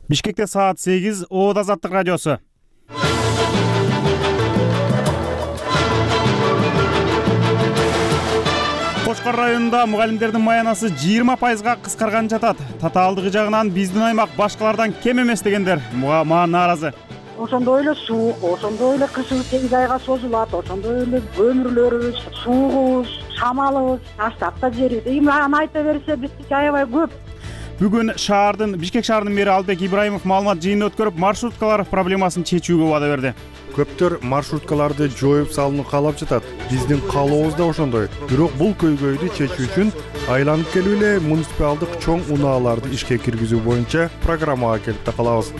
Бишкекте саат 8, Оод Азаттык радиосу. Кошкор районунда мугалимдердин маянасы 20%га кыскарган жатат. Татаалдыгы жагынан биздин аймак башкалардан кем эмес дегендер мага нааразы. Ошондой эле суук, ошондой эле кышыбыз 8 айга созулат, ошондой эле көмүрлөрүбүз, суугубуз, шамалыбыз, таштап жерибиз. Аны айта берсе биздики аябай көп. Бүгүн Бишкек шаарынын мэри Албек Ибраимов маалымат жыйынын өткөрүп, маршруткалар проблемасын чечүүгө убада берди. Көптөр маршруткаларды жоюп салууну каалап жатат. Биздин каалообуз да ошондой. Бирок бул көйгөйдү чечүү үчүн айланып келип эле муниципалдык чоң унааларды ишке киргизүү боюнча программага келип да калабыз.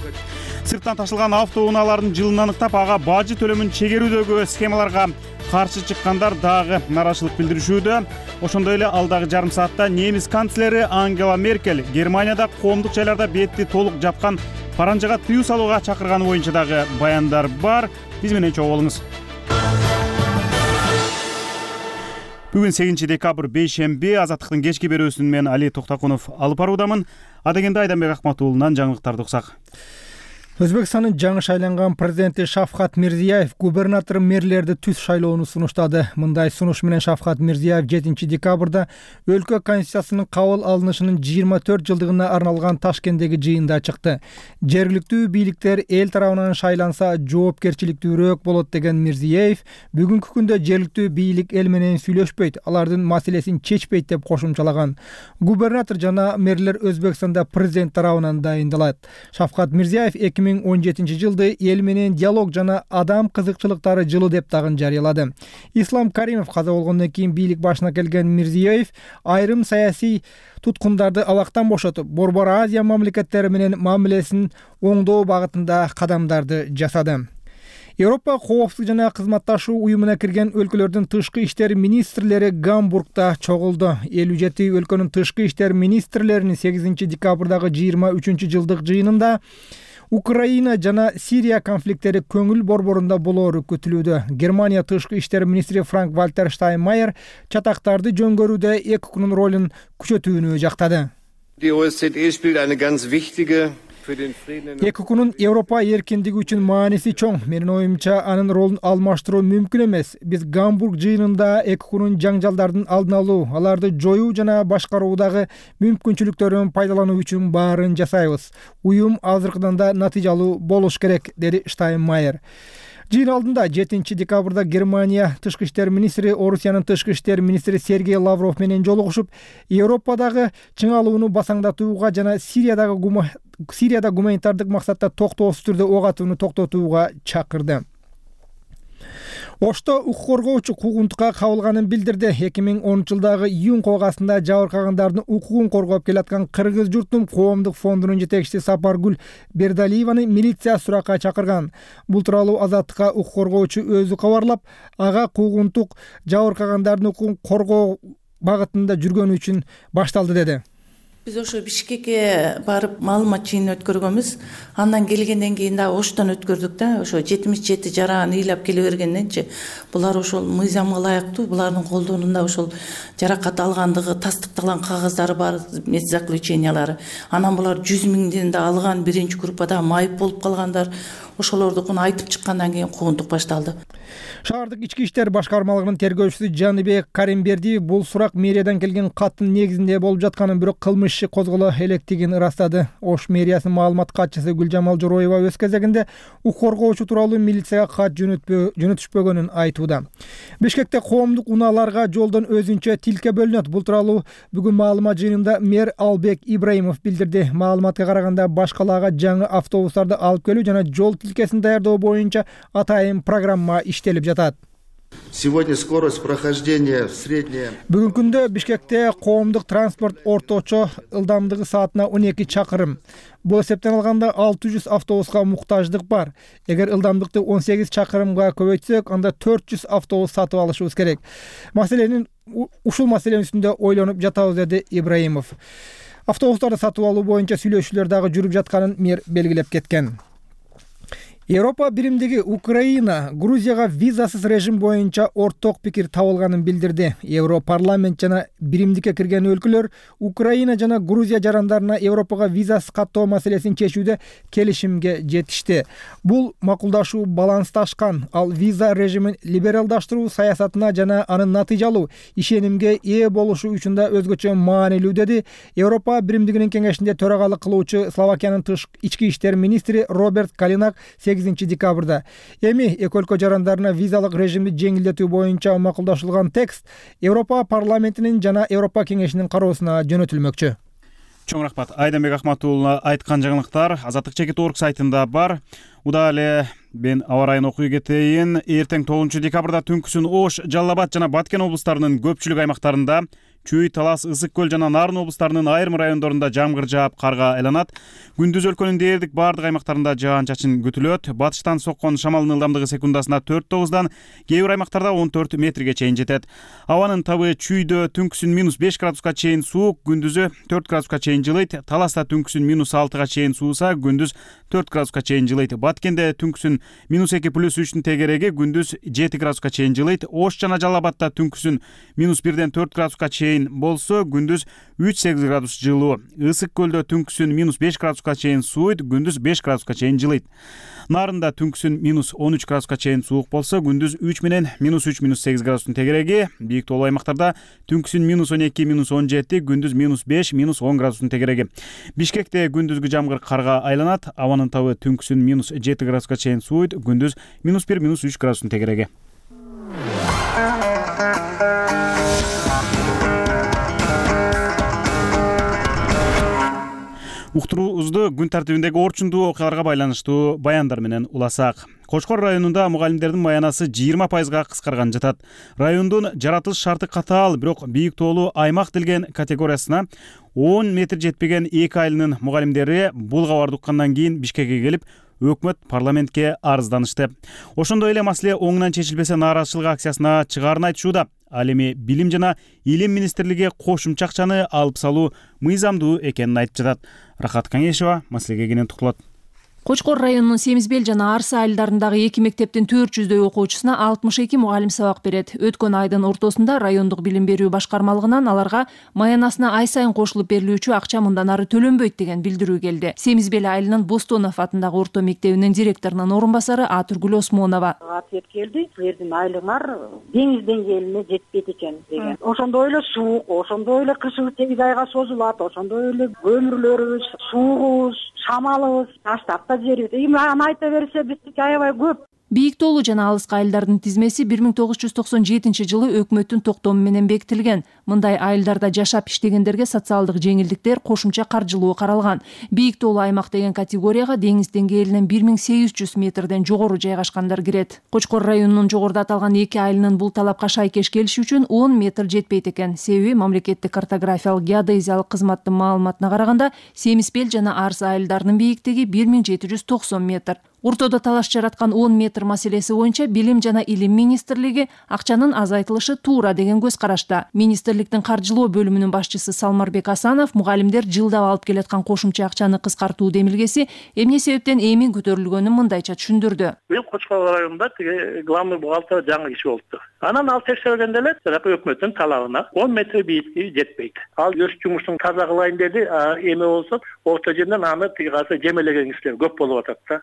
Сырттан ташылган автоунаалардын жылын аныктап, ага бажы төлөмүн чегерүүдөгү схемаларга каршы чыккандар дагы нааразычылык билдиришүүдө. Ошондой эле алдагы жарым саатта немис канцлери Ангела Меркель Германияда коомдук жайларда бетти толук жапкан паранжага тыюу салууга чакырганы боюнча дагы баяндар бар. Биз менен чогуу болуңуз. Бүгүн 8 декабрь бейшемби, Азаттыктын кечки берүүсүн мен Али Токтакунов алып баруудамын. Адегенде Айданбек Акматуулунан жаңылыктарды уксак. Өзбекстандын жаңы шайланган президенти Шавкат Мирзиёев губернатор мэрлерди түз шайлоону сунуштады. Мындай сунуш менен Шавкат Мирзиёев 7 декабрда өлкө конституциясынын кабыл алынышынын 24 жылдыгына арналган Ташкенттеги жыйында чыкты. Жергиликтүү бийликтер эл тарабынан шайланса жоопкерчиликтүүрөөк болот деген Мирзиёев бүгүнкү күндө жергиликтүү бийлик эл менен сүйлөшпөйт, алардын маселесин чечпейт деп кошумчалаган. Губернатор жана мэрлер Өзбекстанда президент тарабынан дайындалат. Шавкат Мирзиёев 2017 жылды эл менен диалог жана адам кызыкчылыктары жылы деп дагы жарыялады. Ислам Каримов каза болгондон кийин бийлик башына келген Мирзиёев айрым саясий туткундарды абактан бошотуп, Борбор Азия мамлекеттери менен мамилесин оңдоо багытында кадамдарды жасады. Европа коопсуздук жана кызматташуу уюмуна кирген өлкөлөрдүн тышкы иштер министрлери Гамбургда чогулду. 57 өлкөнүн тышкы иштер министрлеринин 8 декабрдагы 23 жылдык жыйынында Украина жана Сирия конфликттери көңүл борборунда болоору күтүлүүдө. Германия тышкы иштер министри Франк-Вальтер Штайнмайер чатактарды жөнгөрүүдө ЭКУнун ролун күчөтүүнү жактады. ЭКУнун Европа эркиндиги үчүн мааниси чоң. Менин оюмча, анын ролун алмаштыруу мүмкүн эмес. Биз Гамбург жыйынында ЭКУнун жаңжалдардын алдын алуу, аларды жоюу жана башкаруудагы мүмкүнчүлүктөрүн пайдалануу үчүн баарын жасайбыз. Уюм азыркыдан да натыйжалуу болуш керек, деди Штайнмайер. Жыйын алдында 7 декабрда Германия тышкы иштер министри Орусиянын тышкы иштер министри Сергей Лавров менен жолугушуп, Европадагы чыңалууну басаңдатууга жана Сирияда гуманитардык максатта токтоосуз түрдө ок атууну токтотууга чакырды. Ошто укук коргоочу куугунтукка кабылганын билдирди. 2010 жылдагы июнь когасында жабыркагандардын укугун коргоп келаткан Кыргыз журтум коомдук фондунун жетекчиси Сапаргүл Бердалиеваны милиция суракка чакырган. Бул тууралуу Азаттыкка укук коргоочу өзү кабарлап, ага куугунтук жабыркагандардын укугун коргоо багытында жүргөнү үчүн башталды деди. Биз ошо Бишкекке барып маалымат жыйынын өткөргөнбүз. Андан келгенден кийин да Оштон өткөрдүк да. Ошо 77 жарааны ыйлап келе бергенденчи булар ошол мыйзамга ылайыктуу, булардын колдонунда ошол жаракат алгандыгы тастыкталган кагаздары бар, заключениялары. Анан булар 100 миңден да алган, биринчи группада майып болуп калгандар. Ошолордукун айтып чыккандан кийин куугунтук башталды. Шаардык ички иштер башкармалыгынын тергөөчүсү Жаныбек Каримбердиев бул сурак мэриядан келген каттын негизинде болуп жатканын, бирок кылмыш иши козголо электигин ырастады. Ош мэриясынын маалымат катчысы Гүлжамал Жороева өз кезегинде укук коргоочу тууралуу милицияга кат жөнөтүшпөгөнүн айтууда. Бишкекте коомдук унааларга жолдон өзүнчө тилке бөлүнөт. Бул тууралуу бүгүн маалымат жыйынында мэр Албек Ибраимов билдирди. Маалыматка караганда башкалаага жаңы автобустарды алып келүү жана жол тилкесин даярдоо боюнча атайын программа иштелип жатат. Сегодня скорость прохождения средняя. Бүгүнкү күндө Бишкекте коомдук транспорт орточо ылдамдыгы саатына 12 чакырым. Бул эсептен алганда 600 автобуска муктаждык бар. Эгер ылдамдыкты 18 чакырымга көбөйтсөк, анда 400 автобус сатып алышыбыз керек. Ушул маселенин үстүндө ойлонуп жатабыз, деди Ибраимов. Автобустарды сатып алуу боюнча сүйлөшүүлөр дагы жүрүп жатканын мэр белгилеп кеткен. Европа биримдиги Украина Грузияга визасыз режим боюнча орток пикир табылганын билдирди. Европарламент жана биримдикке кирген өлкөлөр Украина жана Грузия жарандарына Европага визасыз каттоо маселесин чечүүдө келишимге жетишти. Бул макулдашуу балансташкан, ал виза режимин либералдаштыруу саясатына жана анын натыйжалуу ишенимге ээ болушу үчүн да өзгөчө маанилүү, деди Европа биримдигинин кеңешинде төрагалык кылуучу Словакиянын ички иштер министри Роберт Калинак 8 декабрда. Эми эки өлкө жарандарына визалык режимди жеңилдетүү боюнча макулдашылган текст Европа парламентинин жана Европа кеңешинин кароосуна жөнөтүлмөкчү. Чоң рахмат. Айданбек Ахматуулуна айткан жаңылыктар Азаттык чекит орг сайтында бар. Уда эле мен аба райын окуй кетейин. Эртең 9 декабрда түнкүсүн Ош, Жалал Абад жана Баткен облустарынын көпчүлүк аймактарында, Чүй, Талас, Ысык көл жана Нарын облустарынын айрым райондорунда жамгыр жаап, карга айланат. Күндүз өлкөнүн дээрлик бардык аймактарында жаан-чачын күтүлөт. Батыштан соккон шамалдын ылдамдыгы секундасына 4-9дан, кээ бир аймактарда 14 метрге чейин жетет. Абанын табы Чүйдө түнкүсүн -5 градуска чейин суук, күндүзү 4 градуска чейин жылыйт. Таласта түнкүсүн -6 чейин сууса, күндүз 4 градуска чейин жылыйт. Баткенде түнкүсүн -2+3 тегереги, күндүз 7 градуска чейин жылыйт. Ош жана Жалал Абадта түнкүсүн -1 4 градуска чейин болсо, күндүз 3-8 градус жылуу. Ысык көлдө түнкүсүн -5 градуска чейин сууйт, күндүз 5 градуска чейин жылыйт. Нарында түнкүсүн -13 градуска чейин суук болсо, күндүз 3 менен -3-8 градустун тегереги. Бийик тоолуу аймактарда түнкүсүн -12-17, күндүз -5-10 градустун тегереги. Бишкекте күндүзгү жамгыр карга айланат. Абанын табы түнкүсүн -7 градуска чейин сууйт, күндүз -1-3 градустун тегереги. Уктуруубузду күн тартибиндеги орчундуу окуяларга байланыштуу баяндар менен уласак. Кочкор районунда мугалимдердин маянасы 20%га кыскарган жатат. Райондун жаратылыш шарты катаал, бирок бийик тоолуу аймак делген категориясына 10 метр жетпеген 2 айылынын мугалимдери бул кабарды уккандан кийин Бишкекке келип, өкмөт парламентке арызданышты. Ошондой эле маселе оңунан чечилбесе нааразычылык акциясына чыгаарын айтышууда. Ал эми Билим жана Илим министрлиги кошумча акчаны алып салуу мыйзамдуу экенин айтып жатат. Рахат Каңешева маселеге кенен токтолот. Кочкор районунун Семизбел жана Арса айылдарындагы 2 мектептин 400дөй окуучусуна 62 мугалим сабак берет. Өткөн айдын ортосунда райондук билим берүү башкармалыгынан аларга маянасына ай сайын кошулуп берилүүчү акча мындан ары төлөнбөйт деген билдирүү келди. Семизбел айылынын Бостонов атындагы орто мектебинин директорунун орун басары Атургүл Осмонова. Ответ келди, силердин айлыгыңар деңиз деңгээлине жетпейт экен деген. Ошондой эле суук, ошондой эле кышыбыз 8 айга созулат, ошондой эле көмүрлөрүбүз, суугубуз, шамалыбыз таштап жерибиз. Аны айта берсе биздики аябай көп. Бийик тоолуу жана алыскы айылдардын тизмеси 1997 жылы өкмөттүн токтому менен бекитилген. Мындай айылдарда жашап иштегендерге социалдык жеңилдиктер, кошумча каржылоо каралган. Бийик тоолуу аймак деген категорияга деңиз деңгээлинен 1800 метрден жогору жайгашкандар кирет. Кочкор районунун жогоруда аталган 2 айылынын бул талапка шайкеш келиши үчүн 10 метр жетпейт экен. Себеби мамлекеттик картографиялык геодезиялык кызматтын маалыматына караганда Семизбел жана Арса айылдарынын бийиктиги 1790 метр. Ортодо талаш жараткан 10 метр маселеси боюнча Билим жана Илим министрлиги акчанын азайтылышы туура деген көз карашта. Министрликтин каржылоо бөлүмүнүн башчысы Салмарбек Асанов мугалимдер жылдап алып келаткан кошумча акчаны кыскартуу демилгеси эмне себептен эми көтөрүлгөнүн мындайча түшүндүрдү. Бул Кочкор районунда главный бухгалтер жаңы киши болуптур. Анан ал текшергенде эле өкмөттүн талабына 10 метр бийиктиги жетпейт. Ал өз жумушун таза кылайын деди, эме болсо орто жерден аны касы жемелеген кишилер көп болуп атат да.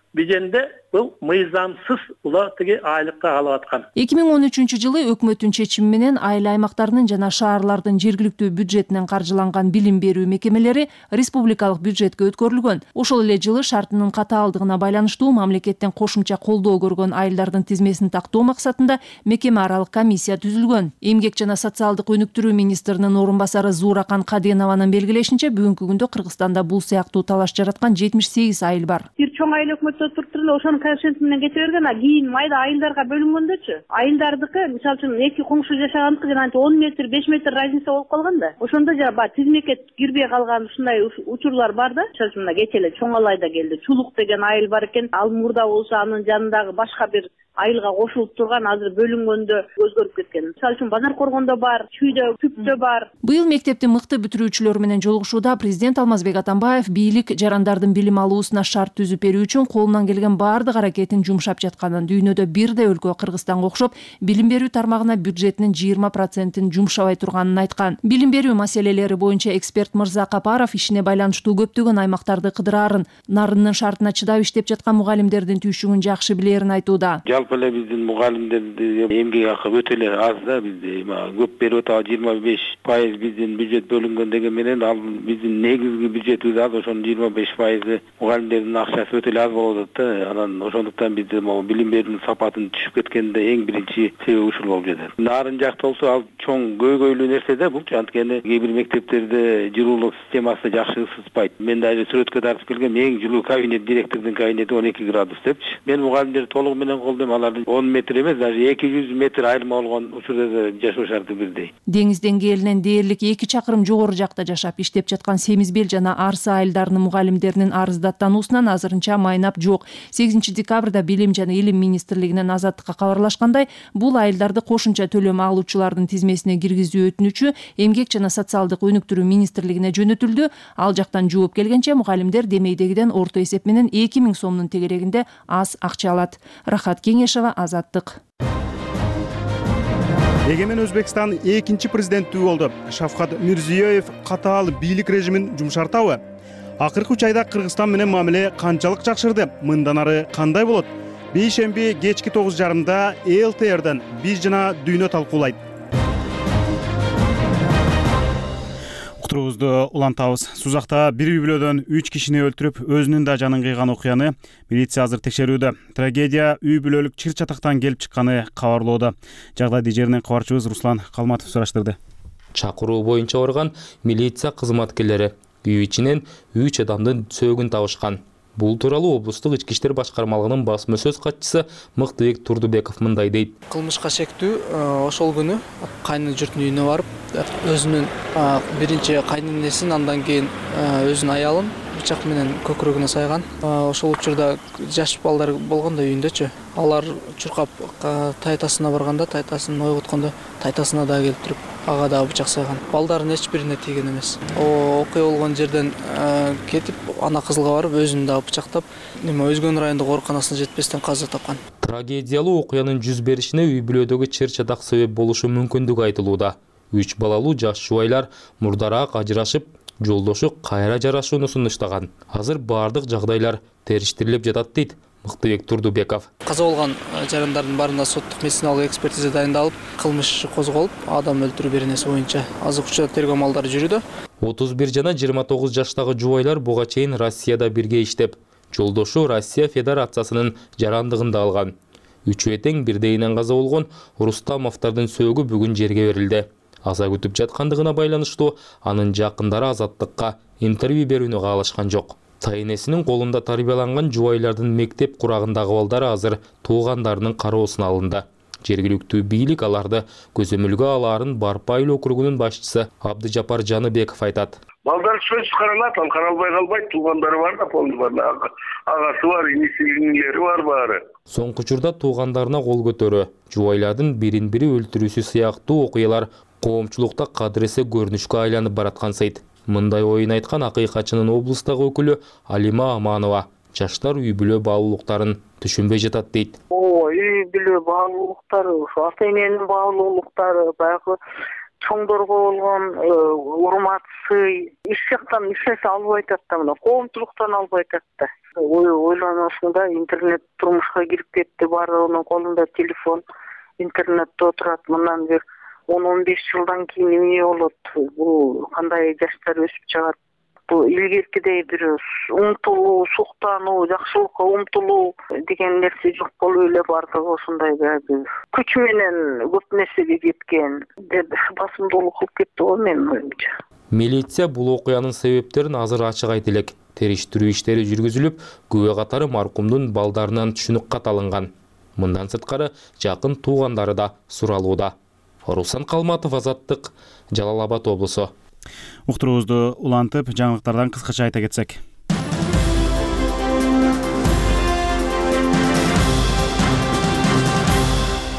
Бул мыйзамсыз улар айлыкка алып аткан. 2013 жылы өкмөттүн чечими менен айыл аймактарынын жана шаарлардын жергиликтүү бюджетинен каржыланган билим берүү мекемелери республикалык бюджетке өткөрүлгөн. Ошол эле жылы шартынын катаалдыгына байланыштуу мамлекеттен кошумча колдоо көргөн айылдардын тизмесин тактоо максатында мекеме аралык комиссия түзүлгөн. Эмгек жана социалдык өнүктүрүү министринин орун басары Зууракан Каденованын белгилешинче бүгүнкү күндө Кыргызстанда бул сыяктуу талаш жараткан 78 айыл бар. Бир чоң айыл өкмөттө туруп ошонун коэффициенти менен кете берген, кийин майда айылдарга бөлүнгөндөрчү. Айылдардыкы мисалы үчүн эки коңшу жашагандыкы жана 10 метр, 5 метр разница болуп калган да. Ошондо жана тизмекке кирбей калган ушундай учурлар бар да. Мисалы үчүн кече эле Чоң Алайда келди. Чулук деген айыл бар экен. Ал мурда болсо анын жанындагы башка бир айылга кошулуп турган азыр бөлүнгөндө өзгөрүп кеткен. Мисалы үчүн Базар Коргондо бар, Чүйдө, Күптө бар. Быйыл мектепти мыкты бүтүрүүчүлөр менен жолугушууда президент Алмазбек Атамбаев бийлик жарандардын билим алуусуна шарт түзүп берүү үчүн колунан келген баардык аракетин жумшап жатканын, дүйнөдө бирдей өлкө Кыргызстанга окшоп билим берүү тармагына бюджетинин 20%-ин жумшабай турганын айткан. Билим берүү маселелери боюнча эксперт Мырза Капаров ишине байланыштуу көптөгөн аймактарды кыдыраарын, нарынын шартына чыдап иштеп жаткан мугалимдердин түйшүгүн жакшы билерин айтууда. Жалпы эле биздин мугалимдердин эмгек акы өтө эле аз да, бизде көп берип атабы 25% биздин бюджет бөлүнгөн деген менен ал биздин негизги бюджетибиз аз, ошонун 25% мугалимдердин акчасы өтө эле аз болуп атат да. Анан ошондуктан бизде билим берүүнүн сапатын түшүп кеткенде эң биринчи себеби ушул болуп жатат. Нарын жакта болсо ал чоң көйгөйлүү нерсе да бул. Анткени кээ бир мектептерде жылуулук системасы жакшы ысытпайт. Мен дагы сүрөткө тартып келгем, эң жылуу кабинет, директордун кабинети 12 градус депчи. Мен мугалимдерди толугу менен колдойм, алардын 10 метр эмес, даже 200 метр айырма болгон учурда да жашоо шарты бирдей. Деңиз деңгээлинен дээрлик 2 чакырым жогору жакта жашап иштеп жаткан Семизбел жана Арсы айылдарынын мугалимдеринин арыздаттануусунан азырынча майнап жок. 8 декабрда Билим жана Илим министрлигинен Азаттыкка кабарлашкандай, бул айылдарды кошумча төлөм алуучулардын тизмесине киргизүү өтүнүчү Эмгек жана социалдык өнүктүрүү министрлигине жөнөтүлдү. Ал жактан жооп келгенче мугалимдер демейдегиден орто эсеп менен 2000 сомдун тегерегинде аз акча алат. Рахат Кеңешова, Азаттык. Эгемен Өзбекстан экинчи президенттүү болду. Шавкат Мирзиёев катаал бийлик режимин жумшартабы? Акыркы 3 айда Кыргызстан менен мамиле канчалык жакшырды? Мындан ары кандай болот? Бейшемби кечки 9:30 ЛТРден биз жана дүйнө талкуулайт. Уктуруубузду улантабыз. Сузакта бир үй бүлөдөн 3 кишини өлтүрүп, өзүнүн да жанын кыйган окуяны милиция азыр текшерүүдө. Трагедия үй бүлөлүк чыр-чатактан келип чыкканы кабарлоодо. Жагдайды жеринен кабарчыбыз Руслан Калматов сураштырды. Чакыруу боюнча барган милиция кызматкерлери үй ичинен 3 адамдын сөөгүн табышкан. Бул тууралуу облустук ички иштер башкармалыгынын басма сөз катчысы Мыктыбек Турдубеков мындай дейт. Кылмышка шектүү ошол күнү кайны журттун үйүнө барып, өзүнүн биринчи кайненесин, андан кийин өзүнүн аялын бычак менен көкүрөгүнө сайган. Ошол учурда жаш балдар болгон да үйүндөчү. Алар чуркап тайтасына барганда, тайтасын ойготкондо тайтасына да келип туруп, ага да бычак сайган. Балдардын эч бирине тийген эмес. Окуя болгон жерден кетип, ана кызылга барып, өзүн да бычактап, Өзгөн райондук ооруканасына жетпестен каза тапкан. Трагедиялуу окуянын жүз беришине үй бүлөдөгү чыр-чатак себеп болушу мүмкүндүгү айтылууда. 3 балалуу жаш жубайлар мурдараак ажырашып, жолдошу кайра жарашууну сунуштаган. Азыр баардык жагдайлар териштирилип жатат дейт Мыктыбек Турдубеков. Каза болгон жарандардын баарында соттук медициналык экспертиза дайындалып, кылмыш козголуп, адам өлтүрүү беренеси боюнча азыркы учурда тергөө амалдары жүрүүдө. 31 жана 29 жаштагы жубайлар буга чейин Россияда бирге иштеп, жолдошу Россия Федерациясынын жарандыгында алган. Үчөө тең бирдейинен каза болгон Рустамовдордун сөөгү бүгүн жерге берилди. Аза күтүп жаткандыгына байланыштуу анын жакындары Азаттыкка интервью берүүнү каалашкан жок. Тайнесинин колунда тарбияланган жубайлардын мектеп курагындагы балдары азыр туугандарынын кароосуна алынды. Жергиликтүү бийлик аларды көзөмөлгө алаарын Барпа айыл округунун башчысы Абдыжапар Жаныбеков айтат. Балдар сөз каралат, ал каралбай калбайт, туугандары бар да, полный бар, агасы бар, инисилери бар баары. Соңку учурда туугандарына кол көтөрүү, жубайлардын бирин-бири өлтүрүүсү сыяктуу окуялар коомчулукта кадыресе көрүнүшкө айланып бараткансыйт. Мындай оюн айткан акыйкатчынын облустагы өкүлү Алима Аманова жаштар үй бүлө баалуулуктарын түшүнбөй жатат дейт. Үй бүлө баалуулуктары, ата эненин баалуулуктары, баягы чоңдорго болгон урмат, сый, иш жактан эчеси албай атат да, мына коомчулуктан албай атат да. Ойлоносуңда интернет турмушка кирип кетти, баардыгынын колунда телефон, интернетте отурат, мындан бир 10-15 жылдан кийин эмне болот? Бул кандай жаштар өсүп чыгат? Бул илгеркидей бир умтулуу, суктануу, жакшылыкка умтулуу деген нерсе жок болуп эле бардыгы ошондой күч менен көп нерсеге жеткен деп басымдуулук кылып кетти го менин оюмча. Милиция бул окуянын себептерин азыр ачык айта элек. Териштирүү иштери жүргүзүлүп, күбө катары маркумдун балдарынан түшүнүк кат алынган. Мындан сырткары жакын туугандары да суралууда. Руслан Калматов, Азаттык, Жалал Абад облусу. Уктуруубузду улантып, жаңылыктардан кыскача айта кетсек.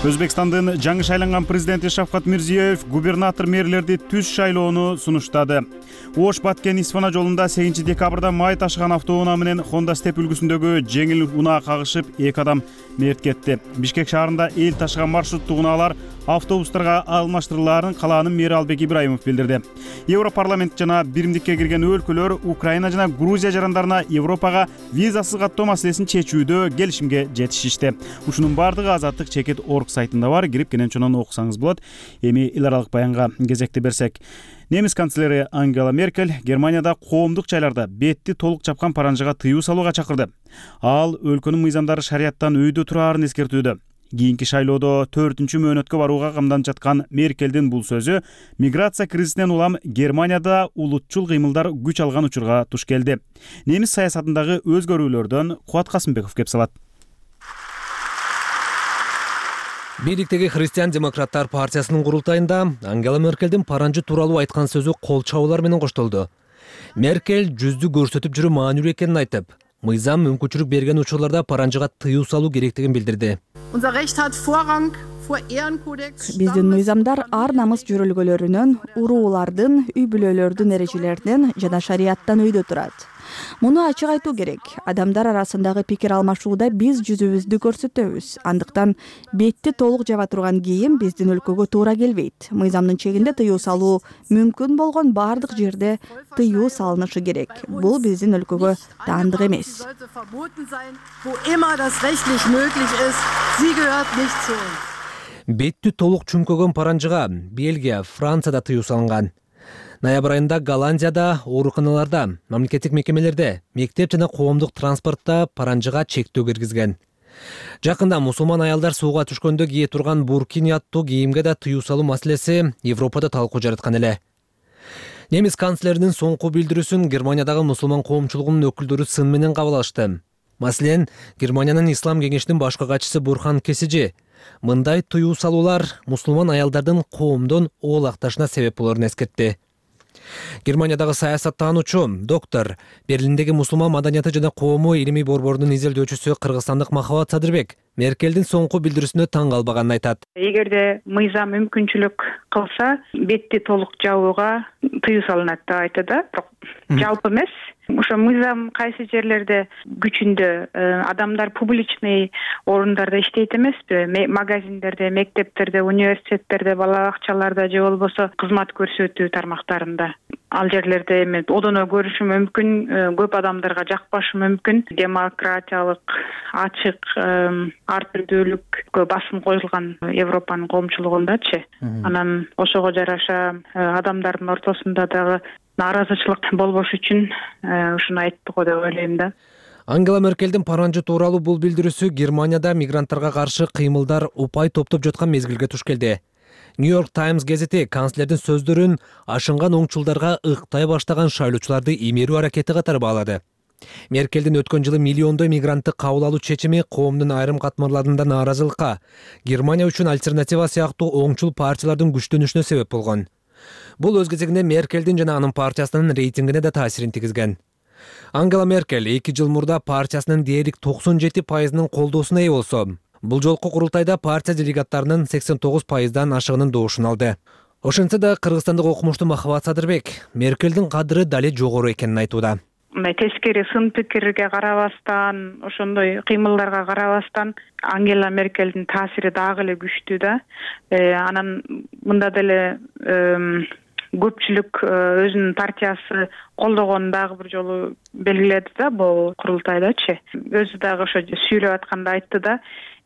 Өзбекстандын жаңы шайланган президенти Шавкат Мирзиёев губернатор мэрлерди түз шайлоону сунуштады. Ош Баткен Исфана жолунда 8 декабрда май ташыган автоунаа менен Honda Step үлгүсүндөгү жеңил унаа кагышып 2 адам мерт кетти. Бишкек шаарында эл ташыган маршруттук унаалар автобустарга алмаштырылаарын калаанын мэри Албек Ибраимов билдирди. Европарламент жана биримдикке кирген өлкөлөр Украина жана Грузия жарандарына Европага визасыз каттоо маселесин чечүүдө келишимге жетишишти. Ушунун бардыгы Азаттык чекит орг сайтында бар, кирип кенен окусаңыз болот. Эми эл аралык баянга кезекти берсек, немис канцлери Ангела Меркель Германияда коомдук жайларда бетти толук чапкан паранжыга тыюу салууга чакырды. Ал өлкөнүн мыйзамдары шарияттан өйдө тураарын эскертүүдө. Кийинки шайлоодо 4-чү мөөнөткө барууга камданып жаткан Меркелдин бул сөзү миграция кризисинен улам Германияда улутчул кыймылдар күч алган учурга туш келди. Немис саясатындагы өзгөрүүлөрдөн Кубат Касымбеков кеп салат. Бийликтеги Христиан-демократтар партиясынын курултайында Ангела Меркелдин паранжы тууралуу айткан сөзү кол чабуулар менен коштолду. Меркель жүздү көрсөтүп жүрүү маанилүү экенин айтып, мыйзам мүмкүнчүлүк берген учурларда паранжыга тыюу салуу керектигин билдирди. Биздин мыйзамдар ар намыс жөрөлгөлөрүнөн, уруулардын, үй бүлөлөрдүн эрежелеринен жана шарияттан өйдө турат. Муну ачык айтуу керек. Адамдар арасындагы пикир алмашууда биз жүзүбүздү көрсөтөбүз. Андыктан бетти толук жаба турган кийим биздин өлкөгө туура келбейт. Мыйзамдын чегинде тыюу салуу мүмкүн болгон бардык жерде тыюу салынышы керек. Бул биздин өлкөгө таандык эмес. Бетти толук чүңкөгөн паранжыга Бельгия, Францияда тыюу салынган. Ноябрь айында Голландияда ооруканаларда, мамлекеттик мекемелерде, мектеп жана коомдук транспортто паранжыга чектөө киргизген. Жакында мусулман аялдар сууга түшкөндө кие турган буркини аттуу кийимге да тыюу салуу маселеси Европада талкуу жараткан эле. Немис канцлеринин соңку билдирүүсүн Германиядагы мусулман коомчулугунун өкүлдөрү сын менен кабыл алышты. Маселен, Германиянын Ислам кеңешинин башкы катчысы Бурхан Кесижи мындай тыюу салуулар мусулман аялдардын коомдон оолакташына себеп болоорун эскертти. Германиядагы саясаттануучу доктор, Берлиндеги мусулман маданияты жана коому илимий борборунун изилдөөчүсү кыргызстандык Махабат Садырбек Меркелдин соңку билдирүүсүнө таң калбаганын айтат. Эгерде мыйзам мүмкүнчүлүк кылса, бетти толук жабууга тыюу салынат деп айтты да, бирок жалпы эмес. Ошо мыйзам кайсы жерлерде күчүндө адамдар публичный орундарда иштейт эмеспи? Магазиндерде, мектептерде, университеттерде, бала бакчаларда же болбосо кызмат көрсөтүү тармактарында. Ал жерлерде эми одоно көрүшү мүмкүн, көп адамдарга жакпашы мүмкүн. Демократиялык, ачык, ар түрдүүлүккө басым коюлган Европанын коомчулугундачы. Анан ошого жараша адамдардын ортосунда дагы нааразычылык болбош үчүн ушуну айтты го деп ойлойм да. Ангела Меркелдин паранжы тууралуу бул билдирүүсү Германияда мигранттарга каршы кыймылдар упай топтоп жаткан мезгилге туш келди. New-York Times газети канцлердин сөздөрүн ашынган оңчулдарга ыктай баштаган шайлоочуларды имерүү аракети катары баалады. Меркелдин өткөн жылы миллиондой мигрантты кабыл алуу чечими коомдун айрым катмарларында нааразылыкка, Германия үчүн альтернатива сыяктуу оңчул партиялардын күчтөнүшүнө себеп болгон. Бул өз кезегинде Меркелдин жана анын партиясынын рейтингине да таасирин тийгизген. Ангела Меркель 2 жыл мурда партиясынын дээрлик 97%нын колдоосуна ээ болсо, бул жолку курултайда партия делегаттарынын 89%дан ашыгынын доошун алды. Ошентсе да кыргызстандык окумуштуу Махабат Садырбек Меркелдин кадыры дале жогору экенин айтууда. Тескери сын пикирге карабастан, ошондой кыймылдарга карабастан Ангела Меркелдин таасири дагы эле күчтүү да. Анан мында деле көпчүлүк өзүнүн партиясы колдогонун дагы бир жолу белгиледи да бул курултайдачы. Өзү дагы ошо сүйлөп атканда айтты да,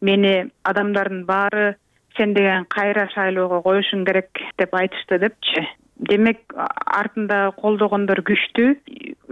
мени адамдардын баары сен деген кайра шайлоого коюшуң керек деп айтышты депчи. Демек артында колдогондор күчтүү.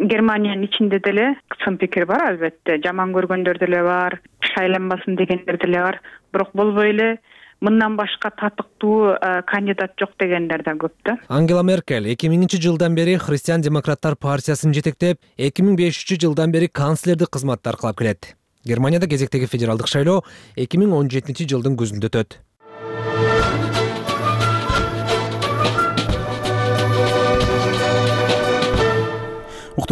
Германиянын ичинде деле сын пикир бар албетте. Жаман көргөндөр деле бар, шайланбасын дегендер деле бар. Бирок болбой эле мындан башка татыктуу кандидат жок дегендер да көп да. Ангела Меркель 2000-жылдан бери Христиан-демократтар партиясын жетектеп, 2005-жылдан бери канцлердик кызматты аркылап келет. Германияда кезектеги федералдык шайлоо 2017-жылдын күзүндө өтөт.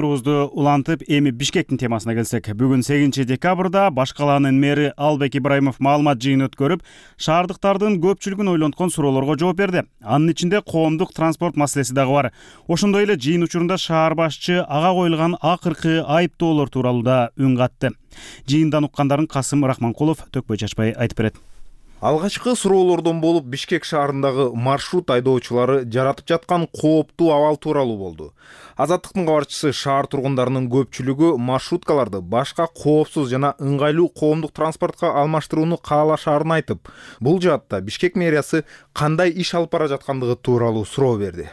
Уктуруубузду улантып, эми Бишкектин темасына келсек, бүгүн 8 декабрда баш калаанын мэри Албек Ибраимов маалымат жыйын өткөрүп, шаардыктардын көпчүлүгүн ойлонткон суроолорго жооп берди. Анын ичинде коомдук транспорт маселеси дагы бар. Ошондой эле жыйын учурунда шаар башчы ага коюлган акыркы айыптоолор тууралуу да үн катты. Жыйындан уккандарын Касым Рахманкулов төкпөй чачпай айтып берет. Алгачкы суроолордон болуп Бишкек шаарындагы маршрут айдоочулары жаратып жаткан кооптуу абал тууралуу болду. Азаттыктын кабарчысы шаар тургундарынын көпчүлүгү маршруткаларды башка коопсуз жана ыңгайлуу коомдук транспортко алмаштырууну каалашаарын айтып, бул жаатта Бишкек мэриясы кандай иш алып бара жаткандыгы тууралуу суроо берди.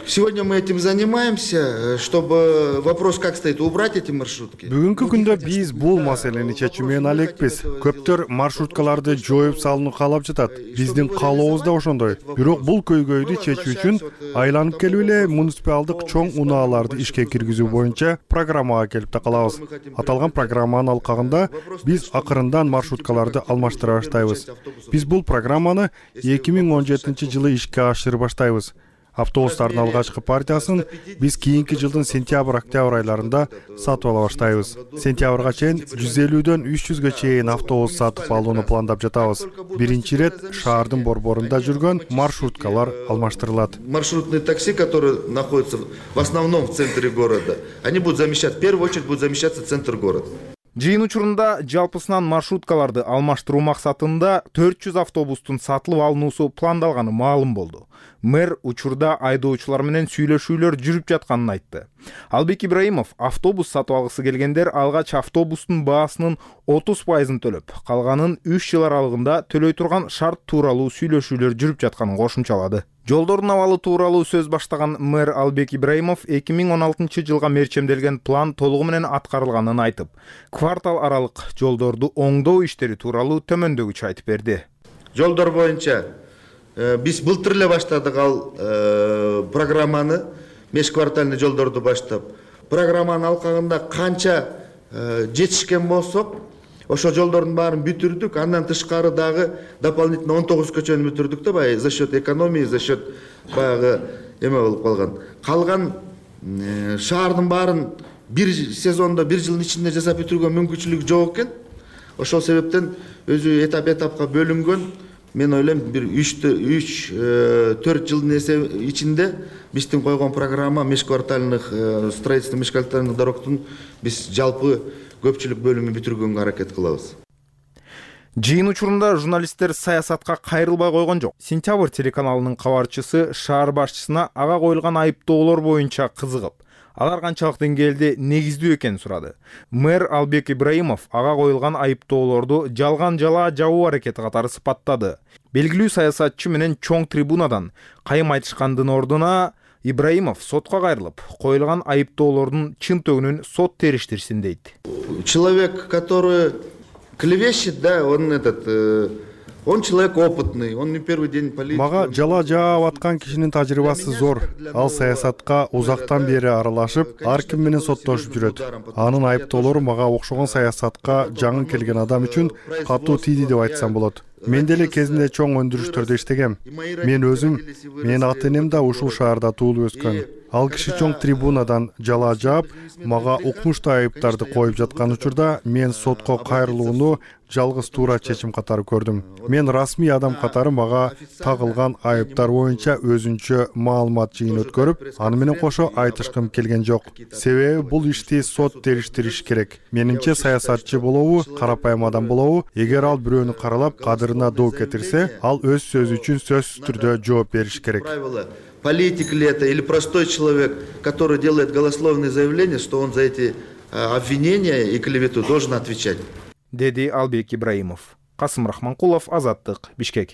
Сегодня мы этим занимаемся, чтобы вопрос как стоит, убрать эти маршрутки. Бүгүнкү күндө биз бул маселени чечүү менен алекпиз. Көптөр маршруткаларды жоюп салууну каалап жатат. Биздин каалообуз да ошондой. Бирок бул көйгөйдү чечүү үчүн айланып келип эле муниципалдык чоң унааларды ишке киргизүү боюнча программага келип такалабыз. Аталган программанын алкагында биз акырындан маршруткаларды алмаштыра баштайбыз. Биз бул программаны 2017 жылы ишке ашырып баштайбыз. Автобустардын алгачкы партиясын биз кийинки жылдын сентябрь-октябрь айларында сатып ала баштайбыз. Сентябрга чейин 150дөн 300гө чейин автобус сатып алууну пландап жатабыз. Биринчи ирет шаардын борборунда жүргөн маршруткалар алмаштырылат. Маршрутные такси, которые находятся в основном в центре города, они будут замещать, в первую очередь будут замещаться центр города. Жыйын учурунда жалпысынан маршруткаларды алмаштыруу максатында 400 автобустун сатылып алынуусу пландалганы маалым болду. Мэр учурда айдоочулар менен сүйлөшүүлөр жүрүп жатканын айтты. Албек Ибраимов автобус сатып алгысы келгендер алгач автобустун баасынын 30%-ын төлөп, калганын 3 жыл аралыгында төлөй турган шарт тууралуу сүйлөшүүлөр жүрүп жатканын кошумчалады. Жолдордун абалы тууралуу сөз баштаган мэр Албек Ибраимов 2016 жылга мерчемделген план толугу менен аткарылганын айтып, квартал аралык жолдорду оңдоо иштери тууралуу төмөндөгүчө айтып берди. Жолдор боюнча биз былтыр эле баштадык ал программаны, межквартальный жолдорду баштап. Программанын алкагында канча жетишкен болсок, ошо жолдордун баарын бүтүрдүк. Андан тышкары дагы дополнительно 19 көчөнү бүтүрдүк да, за счет экономии, за счет баягы эме болуп калган. Калган шаардын баарын бир сезондо, бир жылдын ичинде жасап бүтүргөн мүмкүнчүлүк жок экен. Ошол себептен өзү этап-этапка бөлүнгөн. Мен ойлойм, бир 3-4 жылдын ичинде биздин койгон программа межквартальных строительство межквартальных дорогтун биз жалпы көпчүлүк бөлүмү бүтүргөнгө аракет кылабыз. Жыйын учурунда журналисттер саясатка кайрылбай койгон жок. Сентябрь телеканалынын кабарчысы шаар башчысына ага коюлган айыптоолор боюнча кызыгып, алар канчалык деңгээлде негиздүү экенин сурады. Мэр Албек Ибраимов ага коюлган айыптоолорду жалган жала жабуу аракети катары сыпаттады. Белгилүү саясатчы менен чоң трибунадан кайым айтышкандын ордуна Ибраимов сотко кайрылып, коюлган айыптоолордун чын төгүнүн сот териштирсин дейт. Человек, который клевещет, да, он человек опытный, он не первый день политики. Мага жала жаап аткан кишинин тажрыйбасы зор. Ал саясатка узактан бери аралашып, ар ким менен соттошуп жүрөт. Анын айыптоолору мага окшогон саясатка жаңы келген адам үчүн катуу тийди деп айтсам болот. Мен деле кезинде чоң өндүрүштөрдө иштегем. Мен өзүм, менин ата-энем да ушул шаарда туулуп өскөн. Ал киши чоң трибунадан жала жаап, мага укмуштуу айыптарды коюп жаткан учурда мен сотко кайрылууну жалгыз туура чечим катары көрдүм. Мен расмий адам катары мага тагылган айыптар боюнча өзүнчө маалымат жыйын өткөрүп, аны менен кошо айтышкым келген жок. Себеби бул ишти сот териштириш керек. Менимче саясатчы болобу, карапайым адам болобу, эгер ал бирөөнү каралап, кадырына доо кетирсе, ал өз сөзү үчүн сөзсүз түрдө жооп бериш керек. Политик ли это или простой человек, который делает голословные заявления, что он за эти обвинения и клевету должен отвечать. Деди Албек Ибраимов. Касым Рахманкулов, Азаттык, Бишкек.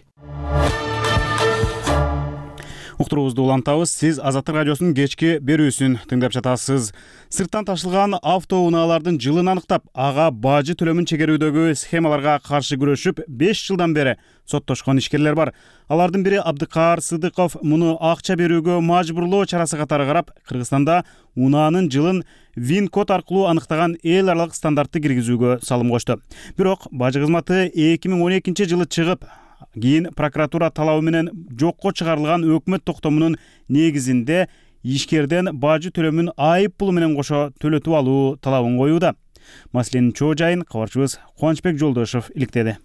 Уктуруубузду улантабыз. Сиз Азаттык радиосунун кечки берүүсүн тыңдап жатасыз. Сырттан ташылган автоунаалардын жылын аныктап, ага бажы төлөмүн чегерүүдөгү схемаларга каршы күрөшүп 5 жылдан бери соттошкон ишкерлер бар. Алардын бири Абдыкаар Сыдыков муну акча берүүгө мажбурлоо чарасы катары карап, Кыргызстанда унаанын жылын ВИН-код аркылуу аныктаган эл аралык стандартты киргизүүгө салым кошту. Бирок бажы кызматы 2012 жылы чыгып, кийин прокуратура талабы менен жокко чыгарылган өкмөт токтомунун негизинде ишкерден бажы төлөмүн айып пулу менен кошо төлөтүп алуу талабын коюуда. Маселенин чоо жайын кабарчыбыз Кубанычбек Жолдошов иликтеди.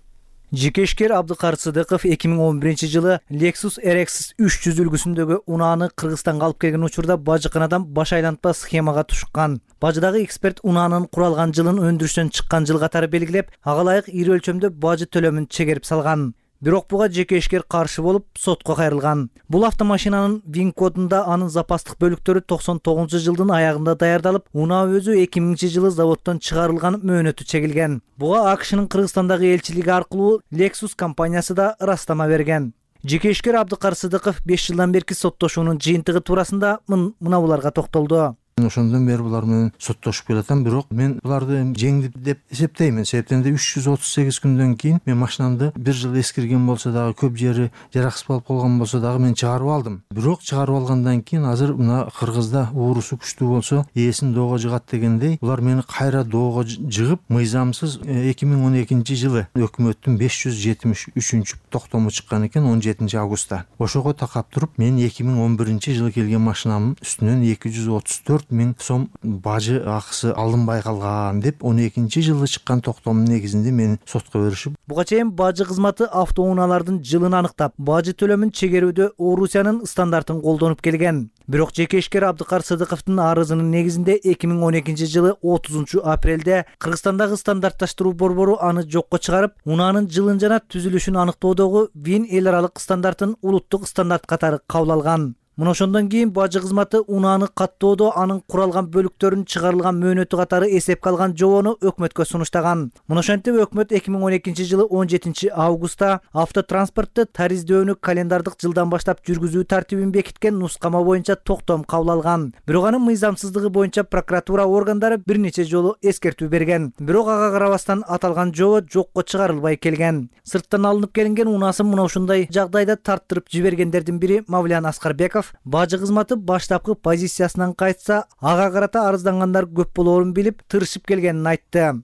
Жеке ишкер Абдыкар Сыдыков 2011 жылы Lexus RX 300 үлгүсүндөгү унааны Кыргызстанга алып келген учурда бажыканадан баш айлантпа схемага тушкан. Бажыдагы эксперт унаанын куралган жылын өндүрүштөн чыккан жыл катары белгилеп, ага ылайык ири өлчөмдө бажы төлөмүн чегерип салган. Бирок буга жеке ишкер каршы болуп, сотко кайрылган. Бул автомашинанын ВИН кодунда анын запастык бөлүктөрү 99 жылдын аягында даярдалып, унаа өзү 2000 жылы заводдон чыгарылган мөөнөтү чегилген. Буга АКШнын Кыргызстандагы элчилиги аркылуу Lexus компаниясы да ырастама берген. Жеке ишкер Абдыкар Сыдыков 5 жылдан берки соттошуунун жыйынтыгы туурасында мына буларга токтолду. Ошондон бери булар менен соттошуп келатам, бирок мен буларды жеңдип деп эсептеймин. Себептен 338 күндөн кийин мен машинамды бир жыл эскирген болсо дагы, көп жери жараксыз болуп калган болсо дагы мен чыгарып алдым. Бирок чыгарып алгандан кийин азыр мына Кыргызда уурусу күчтүү болсо, ээсин доого жыгат дегендей, булар мени кайра доого жыгып, мыйзамсыз 2012 жылы өкмөттүн 573 токтому чыккан экен 17 августта. Ошого такап туруп, мен 2011 жылы келген машинамдын үстүнөн 234 000 сом бажы акысы алынбай калган деп 12 жылы чыккан токтомдун негизинде мени сотко беришип. Буга чейин бажы кызматы автоунаалардын жылын аныктап, бажы төлөмүн чегерүүдө Орусиянын стандартын колдонуп келген. Бирок жеке ишкер Абдыкар Сыдыковдун арызынын негизинде 2012 жылы 30 апрелде Кыргызстандагы стандартташтыруу борбору аны жокко чыгарып, унаанын жылын жана түзүлүшүн аныктоодогу ВИН эл аралык стандартын улуттук стандарт катары кабыл алган. Мына ошондон кийин бажы кызматы унааны каттоодо анын куралган бөлүктөрүнүн чыгарылган мөөнөтү катары эсепке алган жобону өкмөткө сунуштаган. Мына ошентип өкмөт 2012 жылы 17 августта автотранспортты тариздөөнү календардык жылдан баштап жүргүзүү тартибин бекиткен нускама боюнча токтом кабыл алган. Бирок анын мыйзамсыздыгы боюнча прокуратура органдары бир нече жолу эскертүү берген. Бирок ага карабастан аталган жобо жокко чыгарылбай келген. Сырттан алынып келинген унаасын мына ушундай жагдайда тарттырып жибергендердин бири Мавлян Аскарбеков бажы кызматы баштапкы позициясынан кайтса, ага карата арыздангандар көп болоорун билип, тырышып келгенин айтты.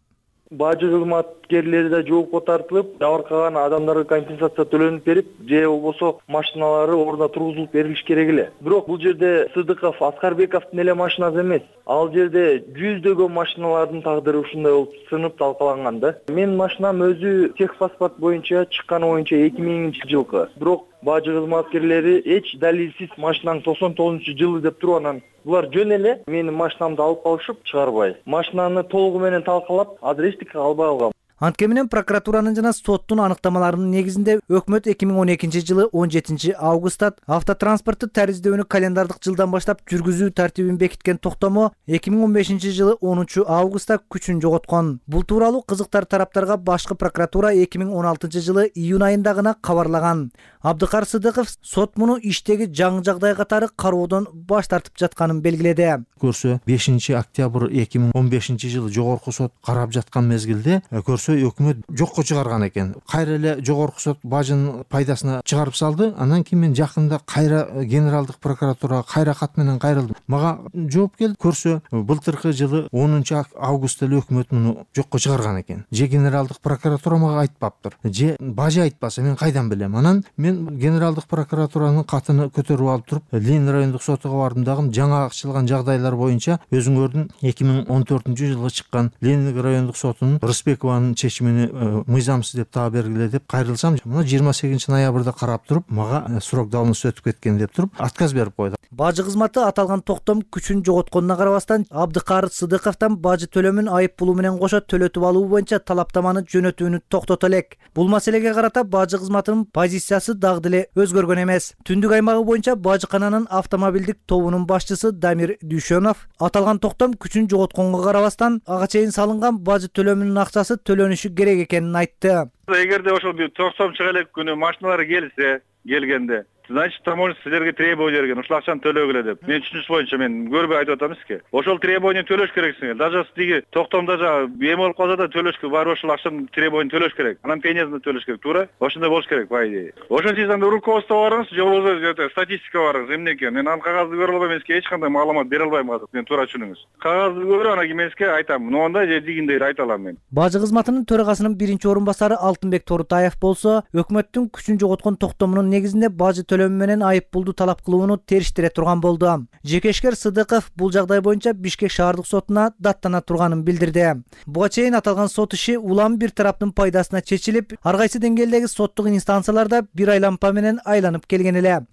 Бажы кызматкерлери да жоопко тартылып, жабыркаган адамдарга компенсация төлөнүп берип, же болбосо машиналары ордуна тургузулуп берилиш керек эле. Бирок бул жерде Сыдыков, Аскарбековдун эле машинасы эмес. Ал жерде жүздөгөн машиналардын тагдыры ушундай болуп сынып талкаланган да. Менин машинам өзү техпаспорт боюнча чыкканы боюнча 2000 жылкы. Бирок бажы кызматкерлери эч далилсиз машинаң 99 жылы деп туруп анан булар жөн эле менин машинамды алып калышып чыгарбай. Машинаны толугу менен талкалап, азыр эчтеке албай алгам. Антке менен прокуратуранын жана соттун аныктамаларынын негизинде өкмөт 2012 жылы 17 августта автотранспортты тариздөөнү календардык жылдан баштап жүргүзүү тартибин бекиткен токтому 2015 жылы 10 августта күчүн жоготкон. Бул тууралуу кызыктар тараптарга башкы прокуратура 2016 жылы июнь айында гана кабарлаган. Абдыкар Сыдыков сот муну иштеги жаңы жагдай катары кароодон баш тартып жатканын белгиледи. Көрсө 5 октябрь 2015 жылы жогорку сот карап жаткан мезгилде көрсө өкмөт жокко чыгарган экен. Кайра эле жогорку сот бажынын пайдасына чыгарып салды. Андан кийин мен жакында кайра генералдык прокуратурага кайра кат менен кайрылдым. Мага жооп келди. Көрсө былтыркы жылы 10 августта эле өкмөт муну жокко чыгарган экен. Же генералдык прокуратура мага айтпаптыр, же бажы айтпаса мен кайдан билем. Анан мен генералдык прокуратуранын катыны көтөрүп алып туруп, Ленин райондук сотуга бардым дагы жаңы ачылган жагдайлар боюнча өзүңөрдүн 2014 жылы чыккан Ленин райондук сотунун Рыспекованын чечимини мыйзамсыз деп таап бергиле деп кайрылсам, мына 28 ноябрда карап туруп, мага срок давности өтүп кеткен деп туруп отказ берип койду. Бажы кызматы аталган токтом күчүн жоготконуна карабастан Абдыкар Сыдыковдон бажы төлөмүн айып пулу менен кошо төлөтүп алуу боюнча талаптаманы жөнөтүүнү токтото элек. Бул маселеге карата бажы кызматынын позициясы дагы деле өзгөргөн эмес. Түндүк аймагы боюнча бажыкананын автомобилдик тобунун башчысы Дамир Дүйшөнов аталган токтом күчүн жоготконго карабастан ага чейин салынган бажы төлөмүнүн акчасы төлөнүшү керек экенин айтты. Эгерде ошол токтом чыга элек күнү машиналар келгенде, значит, таможня силерге требование берген, ушул акчаны төлөгүлө деп. Мен түшүнүш боюнча мен көрбөй айтып атам сизге. Ошол требование төлөш керексиңер. Даже тиги токтомдо эме болуп калса да төлөшкө барып ошол акчаны требование төлөш керек. Анан пениясында төлөш керек, туура? Ошондой болуш керек, по идее. Ошон сиз анда руководство барыңыз, же болбосо статистика барыңыз, эмне экен. Мен ал кагазды көрө албайм, мен сизге эч кандай маалымат бере албайм азыр. Мен туура түшүнүңүз. Кагазды көрүп, анан кийин мен сизге айтам. Моундай же дигиндей айта алам мен. Бажы кызматынын төрагасынын биринчи орун басары Алтынбек Торутаев болсо, өкмөттүн күчүн жоготкон токтомунун негизинде бажы төлөмү менен айып пулду талап кылууну териштире турган болду. Жекешкер Сыдыков бул жагдай боюнча Бишкек шаардык сотуна даттана турганын билдирди. Буга чейин аталган сот иши улам бир тараптын пайдасына чечилип, ар кайсы деңгээлдеги соттук инстанцияларда бир айлампа менен айланып келген эле.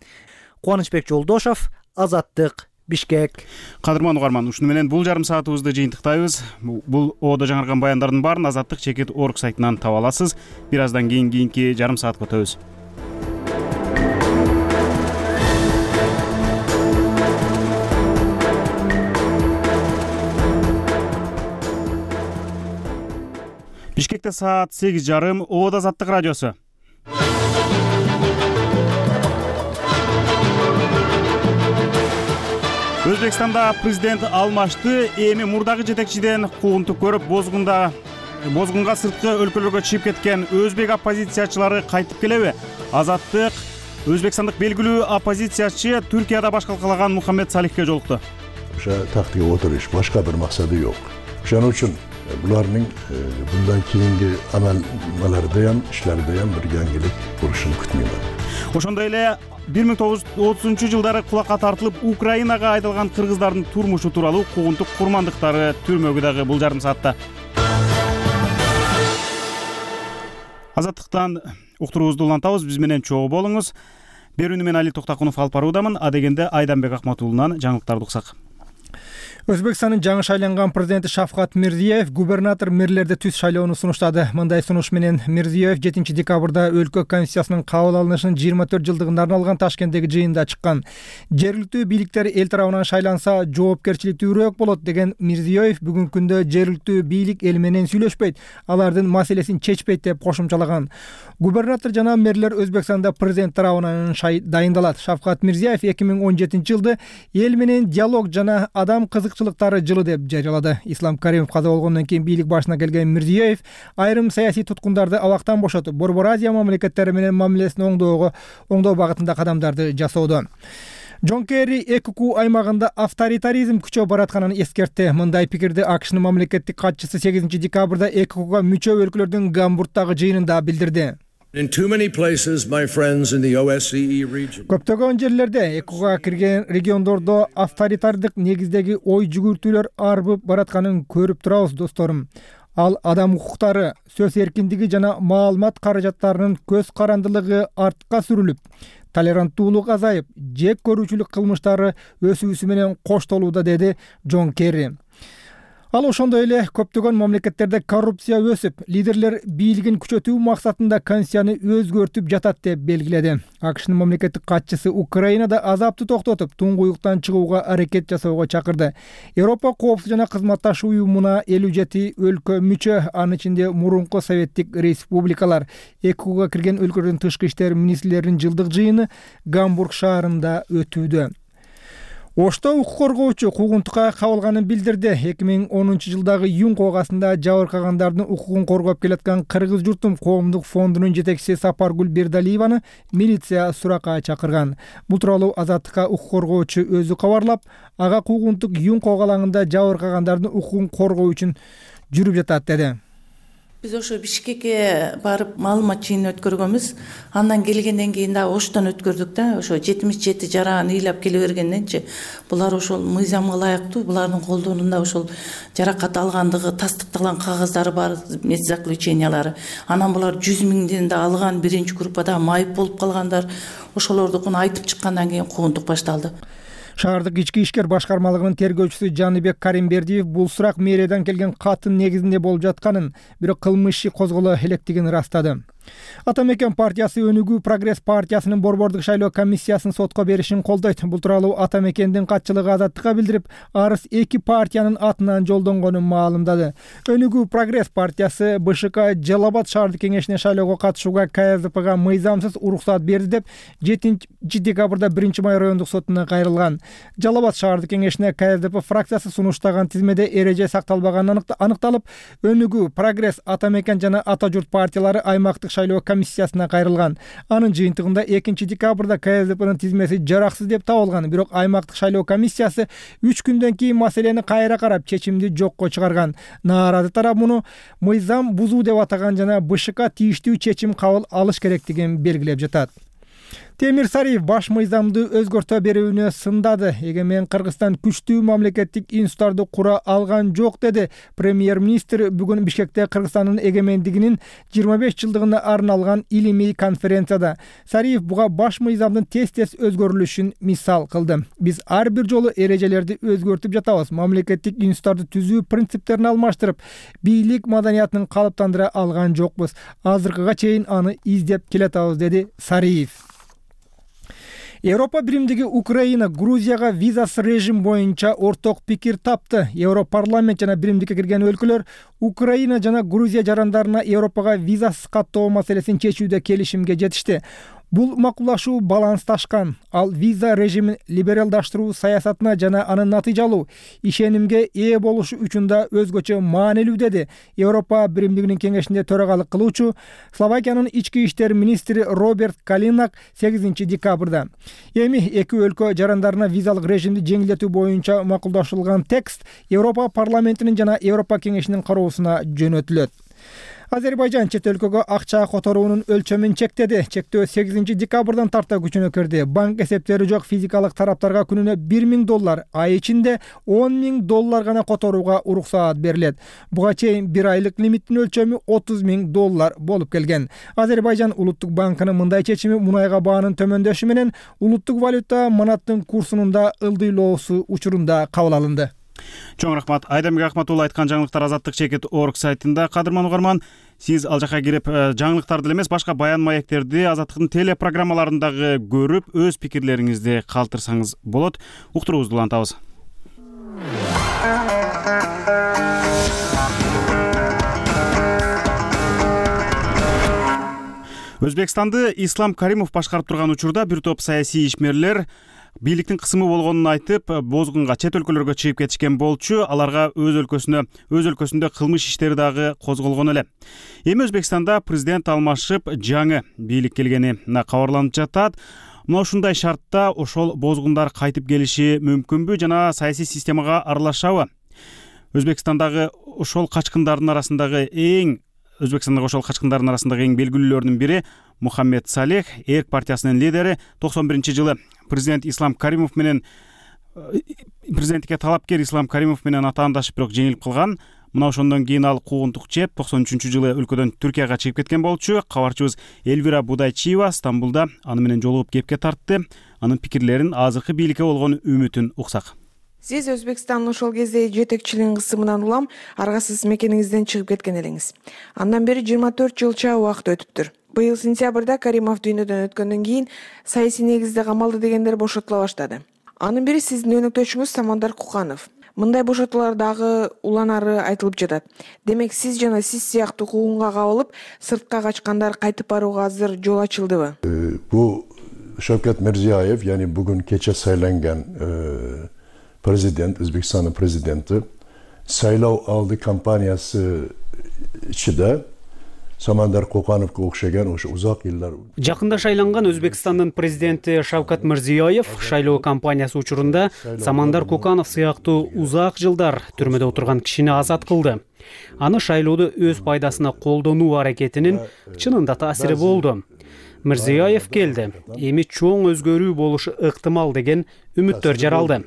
Кубанычбек Жолдошов, Азаттык, Бишкек. Кадырман угарман, ушуну менен бул жарым саатыбызды жыйынтыктайбыз. Бул оодо жаңырган баяндардын баарын Азаттык чекит орг сайтынан таба аласыз. Бир аздан кийинки жарым саатка өтөбүз. Бишкекте саат 8:30, оодо Азаттык радиосу. Өзбекстанда президент алмашты. Эми мурдагы жетекчиден куугунтук көрүп, бозгунга сырткы өлкөлөргө чыгып кеткен өзбек оппозициячылары кайтып келеби? Азаттык өзбекстандык белгилүү оппозициячы Түркияда баш калкалаган Мухаммед Салихке жолукту. Ошо тактыга отуруш, башка бир максаты жок. Ошон үчүн булардын bundan кийинки амалдарда ham, ишлерде ham бир жаңгилик болушун күтмөймүн. Ошондой эле 1930-жылдары кулакка тартылып Украинага айдалган кыргыздардын турмушу тууралуу куугунтук курмандыктары түрмөгү дагы бул жарым саатта. Азаттыктан уктуруубузду улантабыз, биз менен чогуу болуңуз. Берүүнү мен Али Токтакунов алып баруудамын. Адегенде Айданбек Акматуулунан жаңылыктарды уксак. Өзбекстандын жаңы шайланган президенти Шавкат Мирзиёев губернатор мэрлерди түз шайлоону сунуштады. Мындай сунуш менен Мирзиёев 7 декабрда өлкө конституциясынын кабыл алынышынын 24 жылдыгына арналган Ташкенттеги жыйында чыккан. Жергиликтүү бийликтер эл тарабынан шайланса жоопкерчиликтүүрөөк болот деген Мирзиёев бүгүнкү күндө жергиликтүү бийлик эл менен сүйлөшпөйт, алардын маселесин чечпейт деп кошумчалаган. Губернатор жана мэрлер Өзбекстанда президент тарабынан дайындалат. Шавкат Мирзиёев 2017 жылды эл менен диалог жана адам кызыкчылыктары жылы деп жарыялады. Ислам Каримов каза болгондон кийин бийлик башына келген Мирзиёев айрым саясий туткундарды абактан бошотуп, Борбор Азия мамлекеттери менен мамилесин оңдоо багытында кадамдарды жасоодо. Джон Керри ЭКК аймагында авторитаризм күчөп баратканын эскертти. Мындай пикирди AQShnын мамлекеттик катчысы 8 декабрда ЭККга мүчө өлкөлөрдүн Гамбургдагы жыйынында билдирди. Көптөгөн жерлерде ЭККга кирген региондордо авторитардык негиздеги ой жүгүртүүлөр арбып баратканын көрүп турабыз, досторум. Ал адам укуктары, сөз эркиндиги жана маалымат каражаттарынын көз карандылыгы артка сүрүлүп, толеранттуулук азайып, жек көрүүчүлүк кылмыштары өсүүсү менен коштолууда, деди Джон Керри. Ал ошондой эле көптөгөн мамлекеттерде коррупция өсүп, лидерлер бийлигин күчөтүү максатында конституцияны өзгөртүп жатат деп белгиледи. AQShnын мамлекеттик катчысы Украинада азапты токтотуп, туңгуюктан чыгууга аракет жасоого чакырды. Европа коопсуздук жана кызматташ уюмуна 57 өлкө мүчө, анын ичинде мурунку советтик республикалар. ЭККга кирген өлкөлөрдүн тышкы иштер министрлеринин жылдык жыйыны Гамбург шаарында өтүүдө. Ошто укук коргоочу куугунтукка кабылганын билдирди. 2010 жылдагы июнь коогасында жабыркагандардын укугун коргоп келаткан Кыргыз журтум коомдук фондунун жетекчиси Сапаргүл Бердалиеваны милиция суракка чакырган. Бул тууралуу Азаттыкка укук коргоочу өзү кабарлап, ага куугунтук июнь коогалаңында жабыркагандардын укугун коргоо үчүн жүрүп жатат, деди. Биз ошо Бишкекке барып маалымат жыйынын өткөргөнбүз. Андан келгенден кийин да Оштон өткөрдүк да. Ошо 77 жараан ыйлап келе бергенденчи булар ошол мыйзамга ылайыктуу, булардын колдонунда ошол жаракат алгандыгы тастыкталган кагаздары бар, медзаключениялары. Анан булар 100 миңден да алган, биринчи группада майып болуп калгандар. Ошолордукун айтып чыккандан кийин куугунтук башталды. Шаардык ички иштер башкармалыгынын тергөөчүсү Жаныбек Каримбердиев бул сурак мэриядан келген каттын негизинде болуп жатканын, бирок кылмыш иши козголо электигин ырастады. Атамекен партиясы Өнүгүү Прогресс партиясынын борбордук шайлоо комиссиясын сотко беришин колдойт. Бул тууралуу Атамекендин катчылыгы Азаттыкка билдирип, арыз 2 партиянын атынан жолдонгонун маалымдады. Өнүгүү Прогресс партиясы БШК Жалал-Абад шаардык кеңешине шайлоого катышууга КСДПга мыйзамсыз уруксат берди деп 7 декабрда 1 май райондук сотуна кайрылган. Жалал-Абад шаардык кеңешине КСДП фракциясы сунуштаган тизмеде эреже сакталбаганы аныкталып, Өнүгүү Прогресс, Атамекен жана Ата журт партиялары аймактык шайлоо комиссиясына кайрылган. Анын жыйынтыгында 2 декабрда КСДПнын тизмеси жараксыз деп табылган, бирок аймактык шайлоо комиссиясы 3 күндөн кийин маселени кайра карап чечимди жокко чыгарган. Нааразы тарап муну мыйзам бузуу деп атаган жана БШК тийиштүү чечим кабыл алыш керектигин белгилеп жатат. Темир Сариев баш мыйзамды өзгөртө берүүнү сындады. Эгемен Кыргызстан күчтүү мамлекеттик институттарды кура алган жок деди. Премьер-министр бүгүн Бишкекте Кыргызстандын эгемендигинин 25 жылдыгына арналган илимий конференцияда. Сариев буга баш мыйзамдын тез өзгөрүлүшүн мисал кылды. Биз ар бир жолу эрежелерди өзгөртүп жатабыз. Мамлекеттик институттарды түзүү принциптерин алмаштырып, бийлик маданиятын калыптандыра алган жокпуз. Азыркыга чейин аны издеп келатабыз, деди Сариев. Европа биримдиги Украина Грузияга визасыз режим боюнча орток пикир тапты. Европарламент жана биримдикке кирген өлкөлөр Украина жана Грузия жарандарына Европага визасыз каттоо маселесин чечүүдө келишимге жетишти. Бул макулдашуу балансташкан. Ал виза режимин либералдаштыруу саясатына жана анын натыйжалуу ишенимге ээ болушу үчүн да өзгөчө маанилүү, деди Европа биримдигинин кеңешинде төрагалык кылуучу Словакиянын ички иштер министри Роберт Калинак 8 декабрда. Эми эки өлкө жарандарына визалык режимди жеңилдетүү боюнча макулдашылган текст Европа парламентинин жана Европа кеңешинин кароосуна жөнөтүлөт. Азербайжан чет өлкөгө акча которуунун өлчөмүн чектеди. Чектөө 8 декабрдан тарта күчүнө кирди. Банк эсептери жок физикалык тараптарга күнүнө $1000, ай ичинде $10,000 гана которууга уруксаат берилет. Буга чейин бир айлык лимиттин өлчөмү $30,000 болуп келген. Азербайжан улуттук банкынын мындай чечими мунайга баанын төмөндөшү менен улуттук валюта манаттын курсунун да ылдыйлоосу учурунда кабыл алынды. Чоң рахмат. Айдамбек Акматулла айткан жаңылыктар Азаттык.org сайтында. Кадырман угарман, сиз ал жака кирип жаңылыктарды эле эмес, башка баян маектерди Азаттыктын телепрограммаларындагы көрүп, өз пикирлериңизди калтырсаңыз болот. Уктуруубузду улантабыз. Өзбекстанды Ислам Каримов башкарып турган учурда бир топ саясий ишмерлер бийликтин кысымы болгонун айтып, бозгунга чет өлкөлөргө чыгып кетишкен болчу. Аларга өз өлкөсүндө кылмыш иштери дагы козголгон эле. Эми Өзбекстанда президент алмашып, жаңы бийлик келгени кабарланып жатат. Мына ушундай шартта ошол бозгундар кайтып келиши мүмкүнбү жана саясий системага аралашабы? Өзбекстандагы ошол качкындардын арасындагы эң белгилүүлөрүнүн бири Мухаммед Салех, Эрк партиясынын лидери, 91-жылы президенттикке талапкер Ислам Каримов менен атаандашып, бирок жеңилип калган. Мына ошондон кийин ал куугунтук жеп 93-жылы өлкөдөн Түркияга чыгып кеткен болчу. Кабарчыбыз Эльвира Будайчиева Стамбулда аны менен жолугуп кепке тартты. Анын пикирлерин, азыркы бийликке болгон үмүтүн уксак. Сиз Өзбекстандын ошол кезде жетекчилигин кысымынан улам аргасыз мекениңизден чыгып кеткен элеңиз. Андан бери 24 жылча убакыт өтүптүр. Быйыл сентябрда Каримов дүйнөдөн өткөндөн кийин саясий негизде камалды дегендер бошотула баштады. Анын бири сиздин өнөктөшүңүз Самандар Куканов. Мындай бошотуулар дагы уланары айтылып жатат. Демек сиз жана сиз сыяктуу куугунга кабылып, сыртка качкандар кайтып барууга азыр жол ачылдыбы? Бу Шавкат Мирзиёев, яни бүгүн кече сайланган президент, Өзбекстандын президенти, сайлоо алды кампаниясы ичинде Самандар Кукановго окшогон ошо узак жылдар. Жакында шайланган Өзбекстандын президенти Шавкат Мирзиёев шайлоо кампаниясы учурунда Самандар Куканов сыяктуу узак жылдар түрмөдө отурган кишини азат кылды. Аны шайлоодо өз пайдасына колдонуу аракетинин чынында таасири болду. Мирзиёев келди. Эми чоң өзгөрүү болушу ыктымал деген үмүттөр жаралды.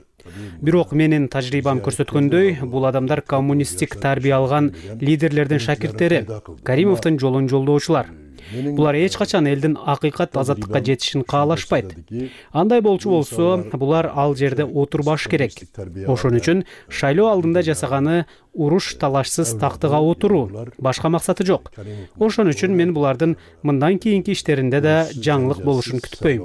Бирок менин тажрыйбам көрсөткөндөй, бул адамдар коммунисттик тарбия алган лидерлердин шакирттери, Каримовдун жолун жолдоочулар. Булар эч качан элдин акыйкат азаттыкка жетишин каалашпайт. Андай болчу болсо, булар ал жерде отурбаш керек. Ошон үчүн шайлоо алдында жасаганы уруш талашсыз тактыга отуруу, башка максаты жок. Ошон үчүн мен булардын мындан кийинки иштеринде да жаңылык болушун күтпөйм.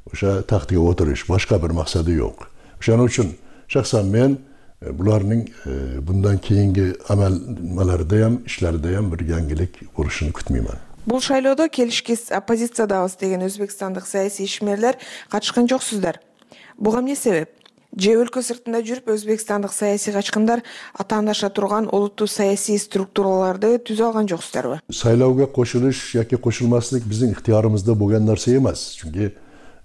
Ошо тактыга отуруш, башка бир максаты жок. Ошон үчүн шахсан мен булардын bundan кийинки амалдарда ham, ишлерде ham бир жаңылык болушун күтмөймүн. Бул шайлоодо келишкис оппозициядабыз деген өзбекстандык саясий ишмерлер катышкан жоксуздар. Буга эмне себеп? Же өлкө сыртында жүрүп өзбекстандык саясий качкындар атаандаша турган олуттуу саясий структураларды түзө алган жоксуздарбы? Сайлоого кошулуш яки кошулмаслык биздин ыктыярыбызда болгон нерсе эмес. Чүнки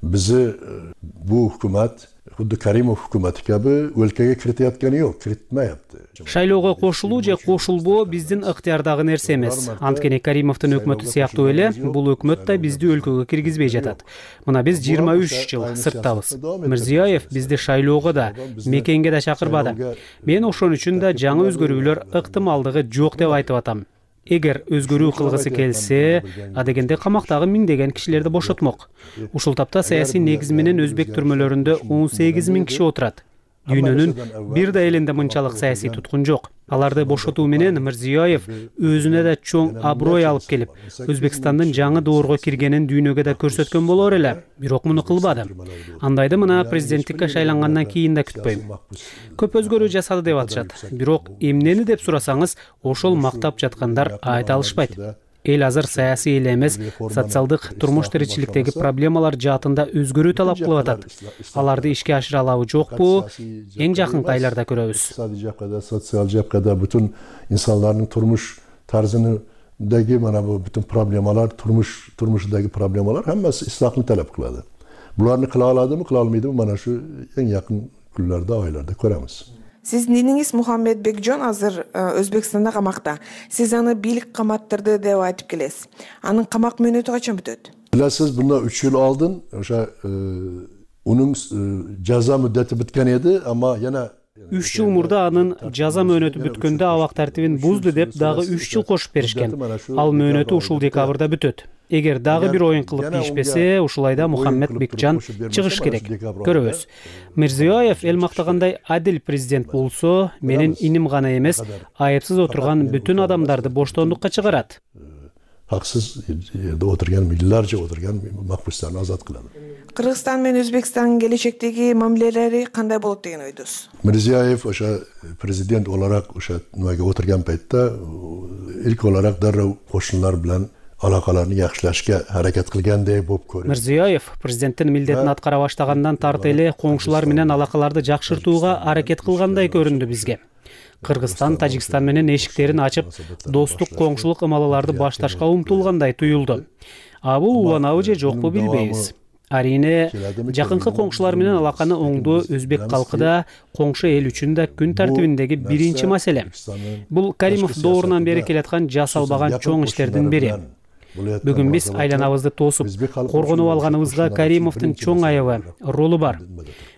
bizi bu hükümet Xuddi Karimov hukumati kabi өлкөгө kiritayotgani yo'q, kiritmayapti. Шайлоого кошулуу же кошулбоо биздин ыктыярдагы нерсе эмес. Анткени Каримовдун өкмөтү сыяктуу эле бул өкмөт да бизди өлкөгө киргизбей жатат. Мына биз 23 жыл сырттабыз. Мирзиёев бизди шайлоого да, мекенге да чакырбады. Мен ошон үчүн да жаңы өзгөрүүлөр ыктымалдыгы жок деп айтып атам. Эгер өзгөрүү кылгысы келсе, адегенде камактагы миңдеген кишилерди бошотмок. Ушул тапта саясий негиз менен өзбек түрмөлөрүндө 18 000 киши отурат. Дүйнөнүн бир да элинде мынчалык саясий туткун жок. Аларды бошотуу менен Мирзиёев өзүнө да чоң аброй алып келип, Өзбекстандын жаңы доорго киргенин дүйнөгө да көрсөткөн болор эле. Бирок муну кылбады. Андайды мына президенттикке шайлангандан кийин да күтпөйм. Көп өзгөрүү жасады деп атышат. Бирок эмнени деп сурасаңыз, ошол мактап жаткандар айта алышпайт. Эл азыр саясий эле эмес, социалдык турмуш тиричиликтеги проблемалар жаатында өзгөрүү талап кылып атат. Аларды ишке ашыра алабы, жокпу? Эң жакынкы айларда көрөбүз. Sotsial жапкада бүтүн инсандардын турмуш тарзындагы мана бу бүтүн проблемалар, турмушдагы проблемалар хаммасы ислахны талап кылады. Буларны кыла аладымы, кыла алмайдымы, мана шу эң жакын күнлөрдө, айларда көрөбүз. Сиздин иниңиз Мухаммед Бекжон азыр Өзбекстанда камакта. Сиз аны бийлик каматтырды деп айтып келесиз. Анын камак мөөнөтү качан бүтөт? Билесиз, bundan 3 yıl алдын, ошо унун жаза мөддөтү бүткөн эди, ама yana 3 жыл мурда анын жаза мөөнөтү бүткөндө абак тартибин бузду деп дагы 3 жыл кошуп беришкен. Ал мөөнөтү ушул декабрда бүтөт. Эгер дагы бир оюн кылып ийишпесе, ушулайда Мухаммед Бекжан чыгыш керек. Көрөбүз. Мирзиёев эл мактагандай адил президент болсо, менин иним гана эмес, айыпсыз отурган бүтүн адамдарды боштондукка чыгарат. Haksız yerde oturgan, millarca oturgan mahpuslarını azat kılады. Kırgızstan менен Özbekistan'ın gelecekteki mamileleri kanday bolot деген ойдусуз? Mirziyoyev o'sha prezident olarak o'sha nimaga o'tirgan paytda ilk olarak darrov qo'shnilar bilan alaqalarni yaxshilashga harakat qilgandek bo'lib ko'rinadi. Мирзиёев президенттин милдетин аткара баштагандан тарты эле коңшулар менен алакаларды жакшыртууга аракет кылгандай көрүндү бизге. Кыргызстан, Тажикстан менен эшиктерин ачып, достук коңшулук ымалаларды башташка умтулгандай туюлду. А бул уланабы же жокпу билбейбиз. Арине, жакынкы коңшулар менен алаканы оңдоо өзбек калкы да, коңшу эл үчүн да күн тартибиндеги биринчи маселе. Бул Каримов доорунан бери келаткан жасалбаган чоң иштердин бири. Бүгүн биз айланабызды тосуп, коргонуп алганыбызга Каримовдун чоң айыбы, ролу бар.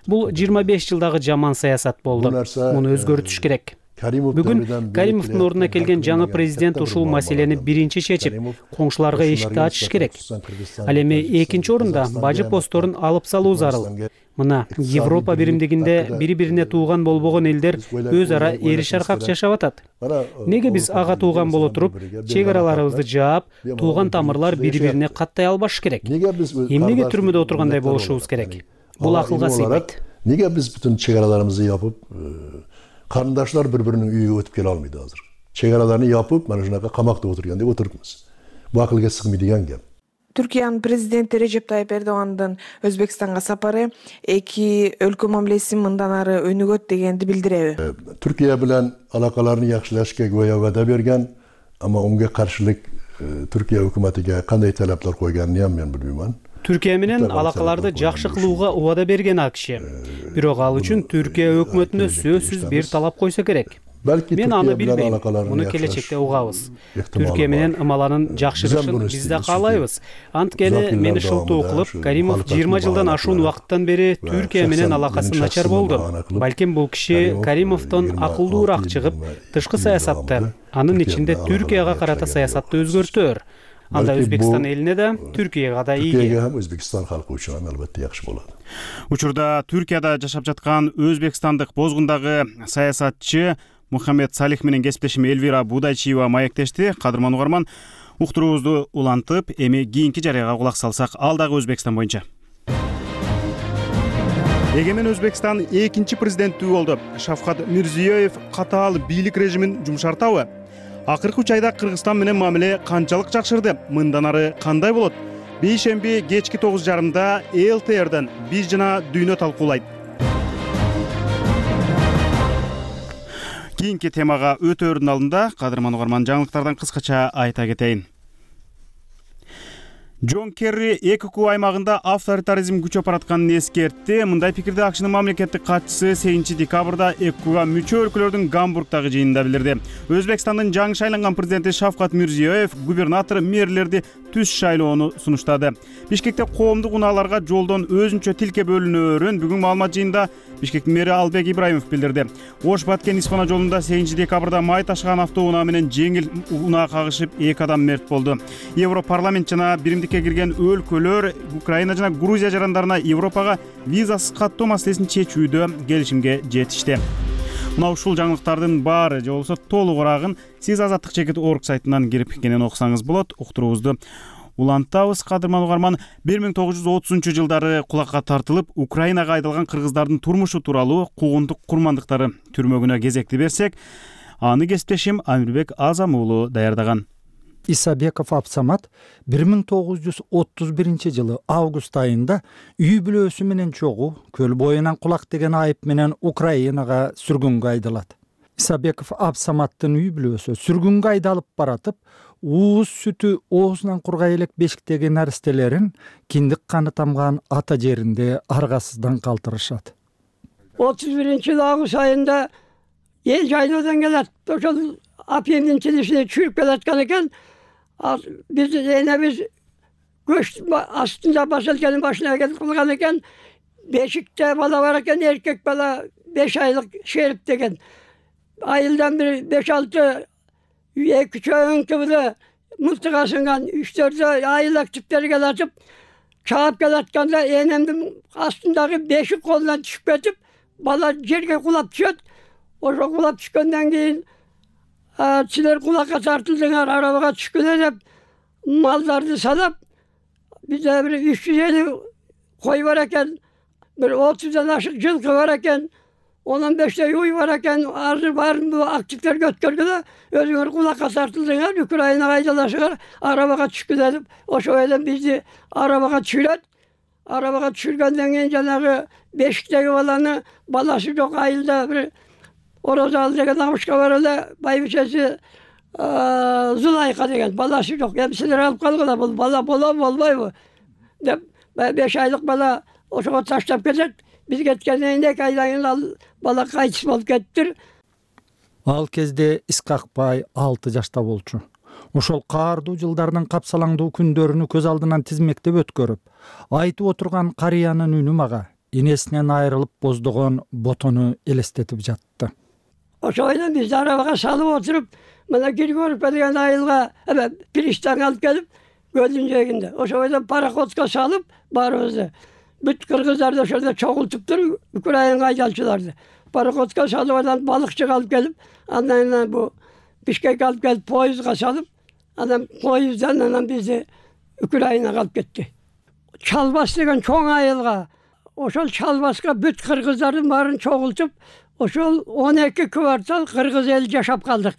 Бул 25 жылдагы жаман саясат болду. Муну өзгөртүш керек. Бүгүн Каримовдун ордуна келген жаңы президент ушул маселени биринчи чечип, коңшуларга эшикти ачыш керек. Ал эми экинчи орунда бажы постторун алып салуу зарыл. Мына Европа биримдигинде бири-бирине тууган болбогон элдер өз ара эриш аркак жашап атат. Неге биз ага тууган боло туруп, чек араларыбызды жаап, тууган тамырлар бири-бирине каттай албаш керек? Эмнеге түрмөдө отургандай болушубуз керек? Бул акылга сыйбайт. Неге биз бүтүн чек араларыбызды япып, карындаштар бири-биринин үйүгө өтүп келе алмайт азыр? Чек араларын япып, мана ушунака камакта отурган деп отурупмуз. Бул акылга сыгмайдыган геп. Түркиянын президенти Режеп Тайып Эрдогандын Өзбекстанга сапары эки өлкө мамилесин мындан ары өнүгөт дегенди билдиреби? Түркия менен алакаларын жакшылашка гоя вада берген, ама унга каршылык Түркия өкмөтүгө кандай талаптар койгонун мен билбейм. Түркия менен алакаларды жакшы кылууга убада берген ал киши. Бирок ал үчүн Түркия өкмөтүнө сөзсүз бир талап койсо керек. Мен аны билбейм. Муну келечекте угабыз. Түркия менен ымаланын жакшырышын биз да каалайбыз. Анткени мени шылтоо кылып, Каримов 20 жылдан ашуун убакыттан бери Түркия менен алакасы начар болду. Балким бул киши Каримовдон акылдуураак чыгып, тышкы саясатты, анын ичинде Түркияга карата саясатты өзгөртөр. Анда Өзбекстан элине да, Түркияга да ийги. Түркияга һәм Өзбекстан халкы үчүн албетте жакшы болот. Учурда Түркияда жашап жаткан өзбекстандык бозгундагы саясатчы Мухаммед Салих менен кесиптешим Элвира Будайчиева маектешти. Кадырман угарман, уктуруубузду улантып, эми кийинки жарыяга кулак салсак, ал дагы Өзбекстан боюнча. Эгемен Өзбекстан экинчи президенттүү болду. Шавкат Мирзиёев катаал бийлик режимин жумшартабы? Акыркы 3 айда Кыргызстан менен мамиле канчалык жакшырды? Мындан ары кандай болот? Бейшемби кечки 9:30-да ЛТРден биз жана дүйнө талкуулайт. Кийинки темага өтөөрдүн алдында кадырман угарман жаңылыктардан кыскача айта кетейин. Джон Керри ЭКК аймагында авторитаризм күчөп баратканын эскертти. Мындай пикирди АКШнын мамлекеттик катчысы 8 декабрда ЭККга мүчө өлкөлөрдүн Гамбургдагы жыйынында билдирди. Өзбекстандын жаңы шайланган президенти Шавкат Мирзиёев губернатор мэрлерди түз шайлоону сунуштады. Бишкекте коомдук унааларга жолдон өзүнчө тилке бөлүнөөрүн бүгүн маалымат жыйында Бишкектин мэри Албек Ибраимов билдирди. Ош-Баткен Испана жолунда 8 декабрда май ташыган автоунаа менен жеңил унаа кагышып 2 адам мерт болду. Европарламент жана биримдикке кирген өлкөлөр Украина жана Грузия жарандарына Европага визасыз каттоо маселесин чечүүдө келишимге жетишти. Мына ушул жаңылыктардын баары же болбосо толугураагын сиз Азаттык чекит орг сайтынан кирип кенен окусаңыз болот. Уктуруубузду улантабыз. Кадырман угарман, 1930-жылдары кулакка тартылып Украинага айдалган кыргыздардын турмушу тууралуу куугунтук курмандыктары түрмөгүнө кезекти берсек, аны кесиптешим Амирбек Азам уулу даярдаган. Исабеков Абсамат 1931-жылы август айында үй бүлөсү менен чогуу көл боюнан кулак деген айып менен Украинага сүргүнгө айдалат. Исабеков Абсаматтын үй бүлөсү сүргүнгө айдалып баратып, ууз сүтү оозунан кургай элек бешиктеги наристелерин киндик каны тамган ата жеринде аргасыздан калтырышат. 31-жылы август айында эл жайлоодон келет. Ошол апемдин тилишине чүйүп келаткан экен. Биз энебиз көч астында басылканын башына келип калган экен. Бешикте бала бар экен, эркек бала 5 айлык Шерип деген. Айылдан бир 5-6 2 чөң кыбылы мылтык асынган 3-4 айылак типтерге латып чаап келатканда энемдин астындагы бешик колунан түшүп кетип, бала жерге кулап түшөт. Ошо кулап түшкөндөн кийин силер кулакка тартылдыңар, арабага түшкүлө деп малдарды салап, бизде бир 350 кой бар экен, бир 30дан ашык жылкы бар экен, 15 уй бар экен. Азыр баарын бул активдерге өткөргүлө, өзүңөр кулакка тартылдыңар, Украинага айдаласыңар, арабага түшкүлө деп, ошо эле бизди арабага түшүрөт. Арабага түшүргөндөн кийин жанагы бешиктеги баланы, баласы жок айылда бир Орозал деген амышка бар эле, байбичеси Зулайка деген баласы жок. Эми силер алып калгыла, бул бала болбойбу деп 5 айлык бала ошого таштап кетет. Биз кеткенден кийин 2 айдан кийин ал бала кайтыс болуп кеттир. Ал кезде Исқақбай 6 жашта болчу. Ошол каардуу жылдардын капсалаңдуу күндөрүнү көз алдынан тизмектеп өткөрүп, айтып отурган карыянын үнү мага энесинен айрылып боздогон ботону элестетип жатты. Ошондон биз арабага салып отуруп, мына Григорьевка деген айылга пристанга алып келип, көлдүн жээгинде. Ошондон пароходко салып баарыбызды. Бүт кыргыздарды ошондо чогултуптур, Украинага айдалчыларды. Пароходко салып, анан балыкчыга алып келип, андан бу Бишкекке алып келип поездга салып, анан поезддан анан бизди Украинага алып кетти. Чалбас деген чоң айылга, ошол Чалбаска бүт кыргыздардын баарын чогултуп, ошол 12 квартал кыргыз эл жашап калдык.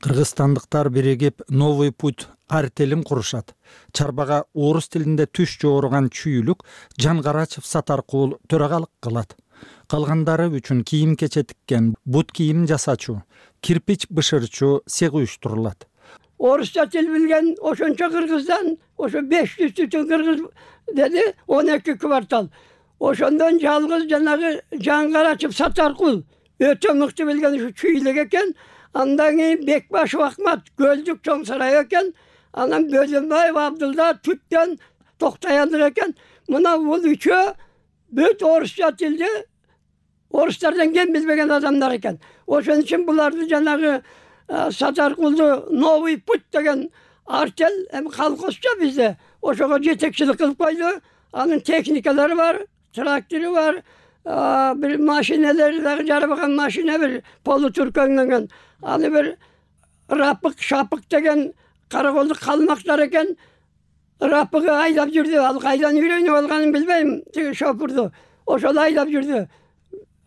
Кыргызстандыктар биригип Новый путь артелин курушат. Чарбага орус тилинде түш жооруган чүйүлүк Жангарачев Сатаркул төрагалык кылат. Калгандары үчүн кийим кече тиккен, бут кийим жасачу, кирпич бышырчу сег уюштурулат. Орусча тил билген ошончо кыргыздан, ошо 500 түтүн кыргыз деди, 12 квартал. Ошондон жалгыз жанагы Жангарачев Сатаркул өтө мыкты билген ушу чүйлүк экен. Андан кийин Бекбашев Ахмат Көлдүк чоң сарай экен. Анан Бөлөнбаев Абдулда Түттөн Токтояндык экен. Мына бул үчөө бүт орусча тилди орустардан кем билбеген адамдар экен. Ошон үчүн буларды жанагы Сатаркулду Новый путь деген артел эми колхозчо бизде ошого жетекчилик кылып койду. Анын техникалары бар, трактору бар, бир машиналары дагы жарабаган машина бир полутуркөнгөн. Аны бир Рапык Шапык деген караколдук калмактар экен. Рапыгы айдап жүрдү. Ал кайдан үйрөнүп алганын билбейм. Тиги шопурду. Ошол айдап жүрдү.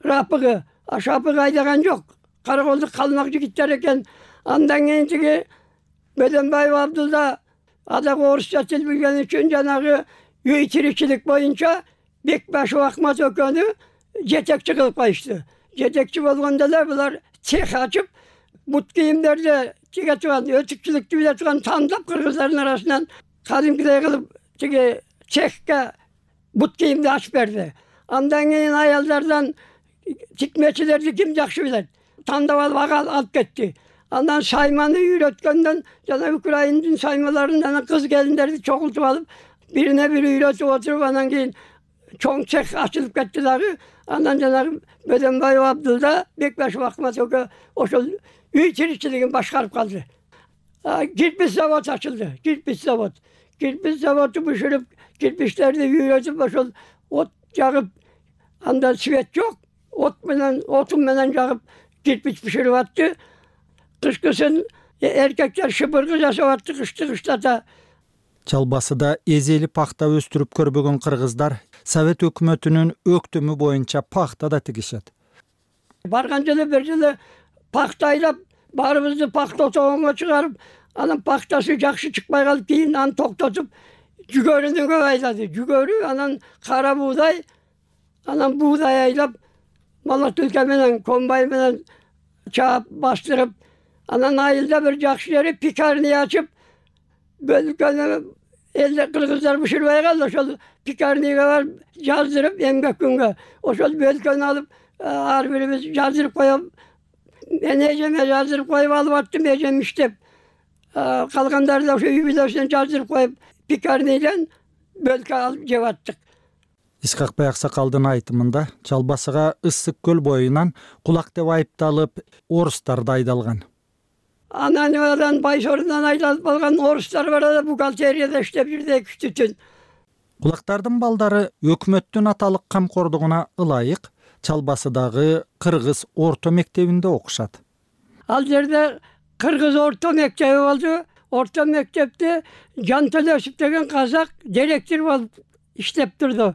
Рапыгы, Шапык айдаган жок. Караколдук калмак жигиттер экен. Андан кийин тиги Бөлөнбаев Абдулда адагы орусча тил билген үчүн жанагы үй тиричилик боюнча Бекбашев Ахмат экөөнү жетекчи кылып коюшту. Жетекчи болгондо эле булар цех ачып, бут кийимдерди тиге турган, өтүкчүлүктү биле турган тандап кыргыздардын арасынан кадимкидей кылып тиги цехке бут кийимди ачып берди. Андан кийин аялдардан тикмечилерди ким жакшы билет, тандап алып ага алып кетти. Андан сайманы үйрөткөндөн жана Украинадын саймаларын жана кыз келиндерди чогултуп алып, бирине бири үйрөтүп отуруп, анан кийин чоң цех ачылып кетти дагы. Андан жанагы Бөдөнбаев Абдулда, Бекбашев Акмат экөө ошол үй тиричилигин башкарып калды. Кирпич завод ачылды, кирпич завод. Кирпич заводу бышырып, кирпичтерди үйрөтүп, ошол от жагып, анда свет жок, отун менен жагып кирпич бышырып атты. Кышкысын эркектер шыбыргы жасап атты, кышты кыштата. Чалбасыда эзели пахта өстүрүп көрбөгөн кыргыздар Совет өкмөтүнүн өктөмү боюнча пахта да тигишет. Барган жылы бир жылы пахта айлап, баарыбызды пахта отогонго чыгарып, анан пахтасы жакшы чыкпай калып, кийин аны токтотуп, жүгөрүнү көп айлады. Жүгөрү, анан кара буудай, анан буудай айлап, малатылка менен, комбайн менен чаап бастырып, анан айылда бир жакшы жери пекарня ачып, бөлкөнү элде кыргыздар бышырбай калды, ошол пекарняга барып жаздырып, эмгек күнгө ошол бөлкөнү алып, ар бирибиз жаздырып коюп, мен эжеме жаздырып коюп алып аттым, эжем иштеп, калгандарды ошо үй бүлөсүнө жаздырып коюп, пекарнядан бөлкө алып жеп аттык. Исхакбай Аксакалдын айтымында Чалбасыга Ысык көл боюнан кулак деп айыпталып, орустар да айдалган. Анан Байсорунан айдалып алган орустар бар да, бухгалтерияда иштеп жүрдү 2 түн. Кулактардын балдары өкмөттүн аталык камкордугуна ылайык Чалбасыдагы кыргыз орто мектебинде окушат. Ал жерде кыргыз орто мектеби болду. Орто мектепте Жан Төлөсүп деген казак директор болуп иштеп турду.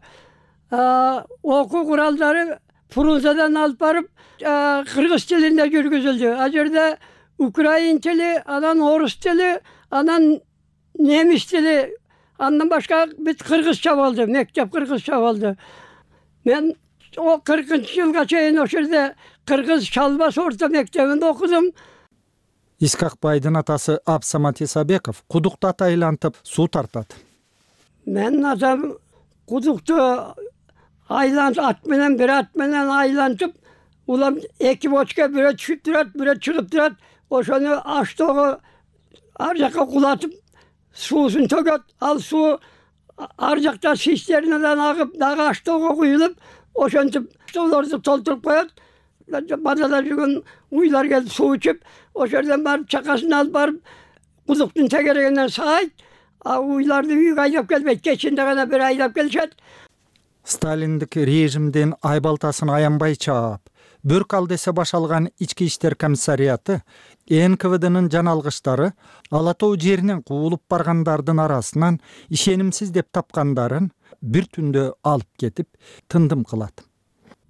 Окуу куралдары Фрунзадан алып барып, кыргыз тилинде жүргүзүлдү. А жерде украин тили, анан орус тили, анан немис тили, андан башка бүт кыргызча болду, мектеп кыргызча болду. Мен 40-жылга чейин ошол жерде кыргыз Чалбас орто мектебинде окудум. Исхакбайдын атасы Абсамат Исабеков кудукту айлантып суу тартат. Мен атам кудукту айлантып, ат менен айлантып, улам 2 бочка, бирөө түшүп турат, бирөө чыгып турат. Ошону аштоого ар жакка кулатып, суусун төгөт. Ал суу ар жакта цистернадан агып, дагы аштоого куюлуп, ошентип столорду толтуруп коет. Бадада жүргөн уйлар келип суу ичип, ошол жерден барып чакасын алып барып, кудуктун тегерегинен саайт, уйларды үйгө айдап келбейт, кечинде гана бир айдап келишет. Сталиндик режимдин айбалтасын аянбай чаап, бөрк ал десе башалган ички иштер комиссарияты НКВДнын жаналгыштары Ала Тоо жеринен куулуп баргандардын арасынан ишенимсиз деп тапкандарын бир түндө алып кетип тындым кылат.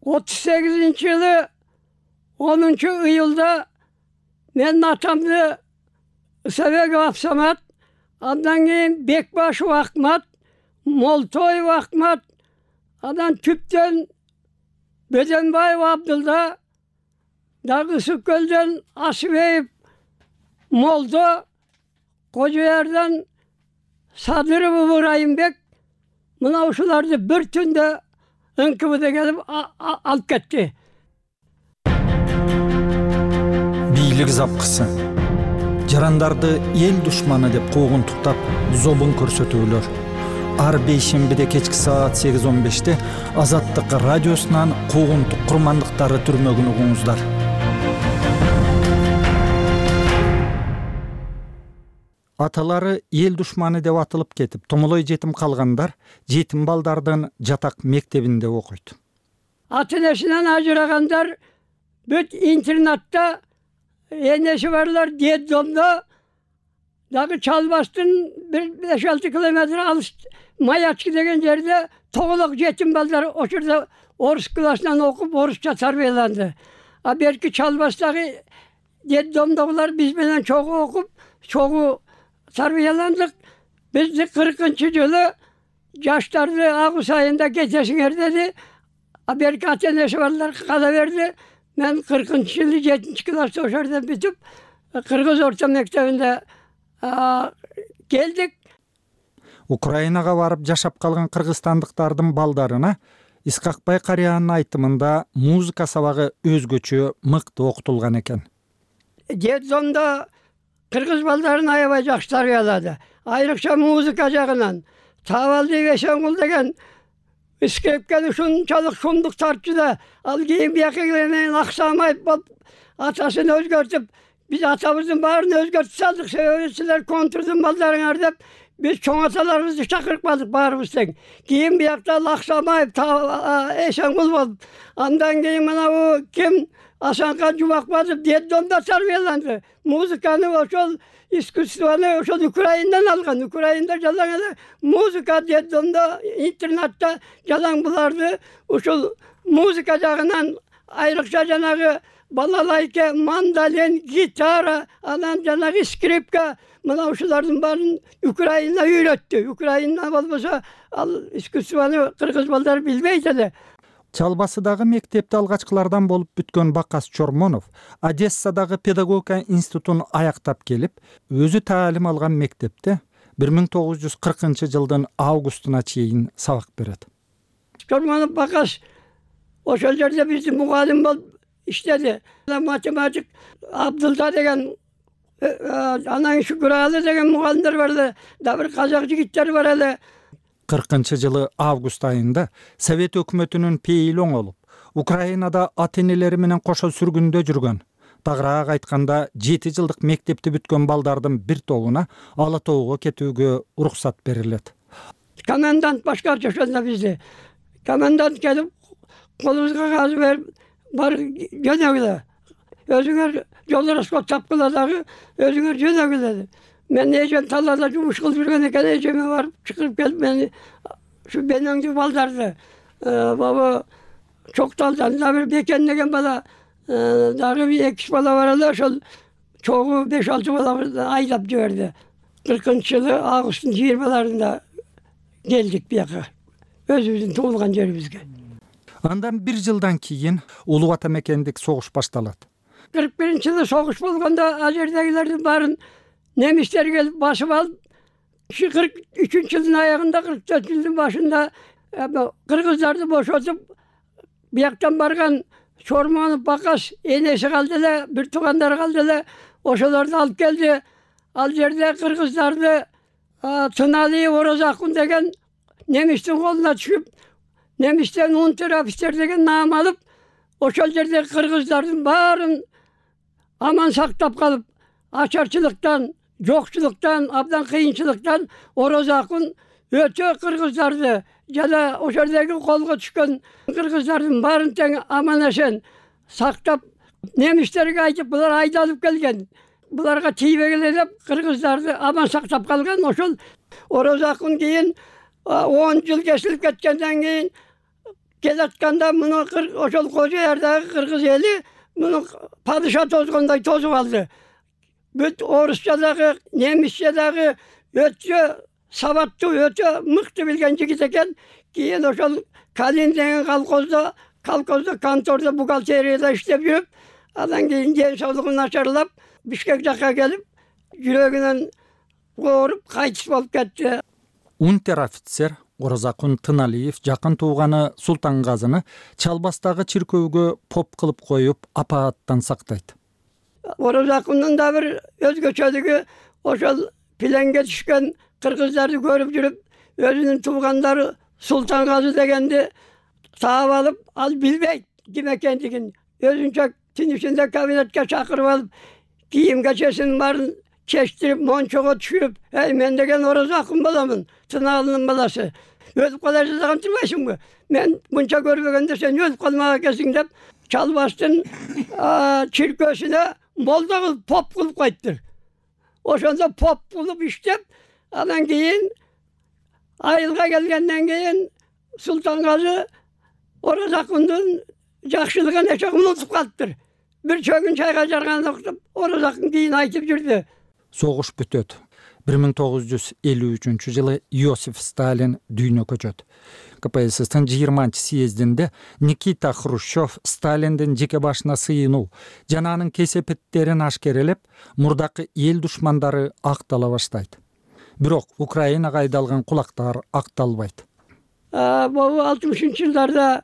38-жылы 10-июлда мен атамды Исабеков Абсамат, андан кийин Бекбашев Акмат, Молтоев Акмат, андан түптөн Бөдөнбаев Абдулда, дагы Ысык көлдөн Асыбеев Молдо, Кожоярдан Садыров Ыбырайымбек, мына ушуларды бир түндө НКВД келип алып кетти. Бийлик запкысы. Жарандарды эл душманы деп куугунтуктап, зобун көрсөтүүлөр. Ар бейшембиде кечки саат 8:15-те Азаттык радиосунан куугунтук курмандыктары түрмөгүн угуңуздар. Аталары эл душманы деп атылып кетип, томолой жетим калгандар жетим балдардын жатак мектебинде окуйт. Ата-энесинен ажырагандар бүт интернатта, энеси барлар детдомдо, дагы Чалбастын 5-6 километр алыс Маячки деген жерде тоголок жетим балдар ошол орус классынан окуп, орусча тарбияланды. А берки Чалбастагы детдомдогулар биз менен чогуу окуп, чогуу тарбияландык. Бизди 40-жылы жаштарды август айында кетесиңер деди. А берки ата-энеси барлар кала берди. Мен 40-жылы 7 класста ошол жерден бүтүп, кыргыз орто мектебинде келдик. Украинага барып жашап калган кыргызстандыктардын балдарына Исқақбай карыянын айтымында музыка сабагы өзгөчө мыкты окутулган экен. Детдомдо кыргыз балдарын аябай жакшы тарбиялады. Айрыкча музыка жагынан. Табалдиев Эшенгул деген Искепкен ушунчалык шумдук тартчу да, ал кийин бияка келгенден аксамайып болуп, атасын өзгөртүп, биз атабыздын баарын өзгөртүп салдык, себеби силер контрдун балдарыңар деп, биз чоң аталарыбызды чакырып калдык баарыбыз тең. Кийин биякта Аксамаев, Эшенгул болуп, андан кийин мына бу ким Асанкан Жубакбаев детдомдо тарбияланды. Музыканы ошол искусствону ошол Украинадан алган. Украинада жалаң эле музыка детдомдо, интернатта жалаң буларды ошол музыка жагынан айрыкча жанагы балалайка, мандолин, гитара, анан жанагы скрипка, мына ушулардын баарын Украина үйрөттү. Украина болбосо ал искусствону кыргыз балдар билбейт эле. Чалбасыдагы мектепте алгачкылардан болуп бүткөн Бакас Чормонов Одессадагы педагогика институтун аяктап келип, өзү таалим алган мектепте 1940-жылдын августуна чейин сабак берет. Чормонов Бакас ошол жерде биздин мугалим болуп иштеди. Математик Абдылда деген, анан Шүкүралы деген мугалимдер бар эле, да бир казак жигиттер бар эле. 40-жылы август айында Совет өкмөтүнүн пейили оңолуп, Украинада ата-энелери менен кошо сүргүндө жүргөн, тагыраак айтканда 7 жылдык мектепти бүткөн балдардын бир тобуна Ала Тоого кетүүгө уруксат берилет. Комендант башкарчы ошондо бизди. Комендант келип, колубузга кагаз берип, бар жөнөгүлө. Өзүңөр жол расход тапкыла дагы, өзүңөр жөнөгүлө. Мен эжем талаада жумуш кылып жүргөн экен, эжеме барып чыгып келип, мени ушу бенеңдүү балдарды, баба Чокталдан да бир Бекен деген бала, дагы 2 бала бар эле, ошол чогуу 5-6 бала айдап жиберди. 40-жылы августтун 20-ларында келдик бияка, өзүбүздүн туулган жерибизге. Андан 1 жылдан кийин Улуу Ата мекендик согуш башталат. 41-жылы согуш болгондо ал жердегилердин баарын немистер келип басып алып, 43-жылдын аягында, 44-жылдын башында кыргыздарды бошотуп, бияктан барган Чормонов Бакас энеси калды эле, бир туугандары калды эле, ошолорду алып келди. Ал жерде кыргыздарды Тыналиев Орозакун деген немистин колуна түшүп, немистен унтер-офицер деген наам алып, ошол жерде кыргыздардын баарын аман сактап калып, ачарчылыктан, жокчулуктан, абдан кыйынчылыктан Орозакун өтө кыргыздарды жана ошол жердеги колго түшкөн кыргыздардын баарын тең аман эсен сактап, немистерге айтып, булар айдалып келген. Буларга тийбегиле деп кыргыздарды аман сактап калган. Ошол Орозакун кийин 10 жыл кесилип кеткенден кийин келатканда муну ошол Кожо Ярдагы кыргыз эли муну падыша тозгондой тозуп алды. Бүт орусча дагы, немисче дагы өтө сабаттуу, өтө мыкты билген жигит экен. Кийин ошол Калин деген колхоздо, контордо, бухгалтерияда иштеп жүрүп, андан кийин ден соолугу начарлап, Бишкек жакка келип, жүрөгүнөн ооруп, кайтыш болуп кетти. Унтер-офицер Орозакун Тыналиев жакын тууганы Султангазыны Чалбастагы чиркөөгө поп кылып коюп, апааттан сактайт. Орозакундун да бир өзгөчөлүгү, ошол пленге түшкөн кыргыздарды көрүп жүрүп, өзүнүн туугандары Султангазы дегенди таап алып, ал билбейт ким экендигин. Өзүнчө түн ичинде кабинетке чакырып алып, кийим кечесин баарын чечтирип, мончого түшүрүп, мен деген Орозакун боломун, Тыналынын баласы. Өлүп кала жазган турбайсыңбы? Мен мынча көрбөгөндө сен өлүп калмак экенсиң деп, Чалбастын чиркөөсүнө молдо кылып, поп кылып койдур. Ошондо поп кылып иштеп, анан кийин айылга келгенден кийин Султангазы Орозакундун жакшылыгын эче унутуп калыптыр. Бир чөгүн чайга жарганды уктуп, Орозакун кийин айтып жүрдү. Согуш бүтөт. 1953-жылы Иосиф Сталин дүйнө көчөт. КПССтин 20-съездинде Никита Хрущев Сталиндин жеке башына сыйынуу жана анын кесепеттерин ашкерелеп, мурдакы эл душмандары актала баштайт. бирок Украинага айдалган кулактар акталбайт. Могу 60-жылдарда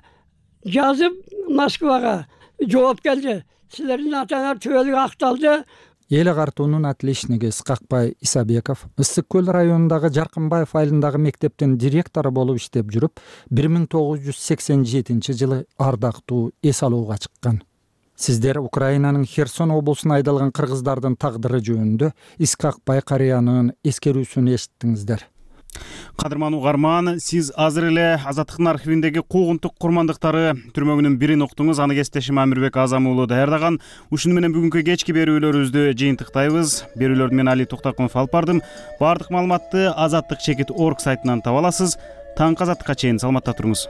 жазып Москвага жооп келди. Силердин атаңар түбөлүк акталды. Эл агартуунун отличниги Исқақбай Исабеков Ысык көл районундагы Жаркынбаев айылындагы мектептин директору болуп иштеп жүрүп, 1987-жылы ардактуу эс алууга чыккан. Сиздер Украинанын Херсон облусуна айдалган кыргыздардын тагдыры жөнүндө Исқақбай карыянын эскерүүсүн эшиттиңиздер. Кадырман угарман, сиз азыр эле Азаттыктын архивиндеги куугунтук курмандыктары түрмөгүнүн бирин уктуңуз. Аны кесиптешим Амирбек Азам уулу даярдаган. Ушуну менен бүгүнкү кечки берүүлөрүбүздү жыйынтыктайбыз. Берүүлөрдү мен Али Токтакунов алып бардым. Баардык маалыматты Азаттык чекит.org сайтынан таба аласыз. Таңкы Азаттыкка чейин саламатта туруңуз.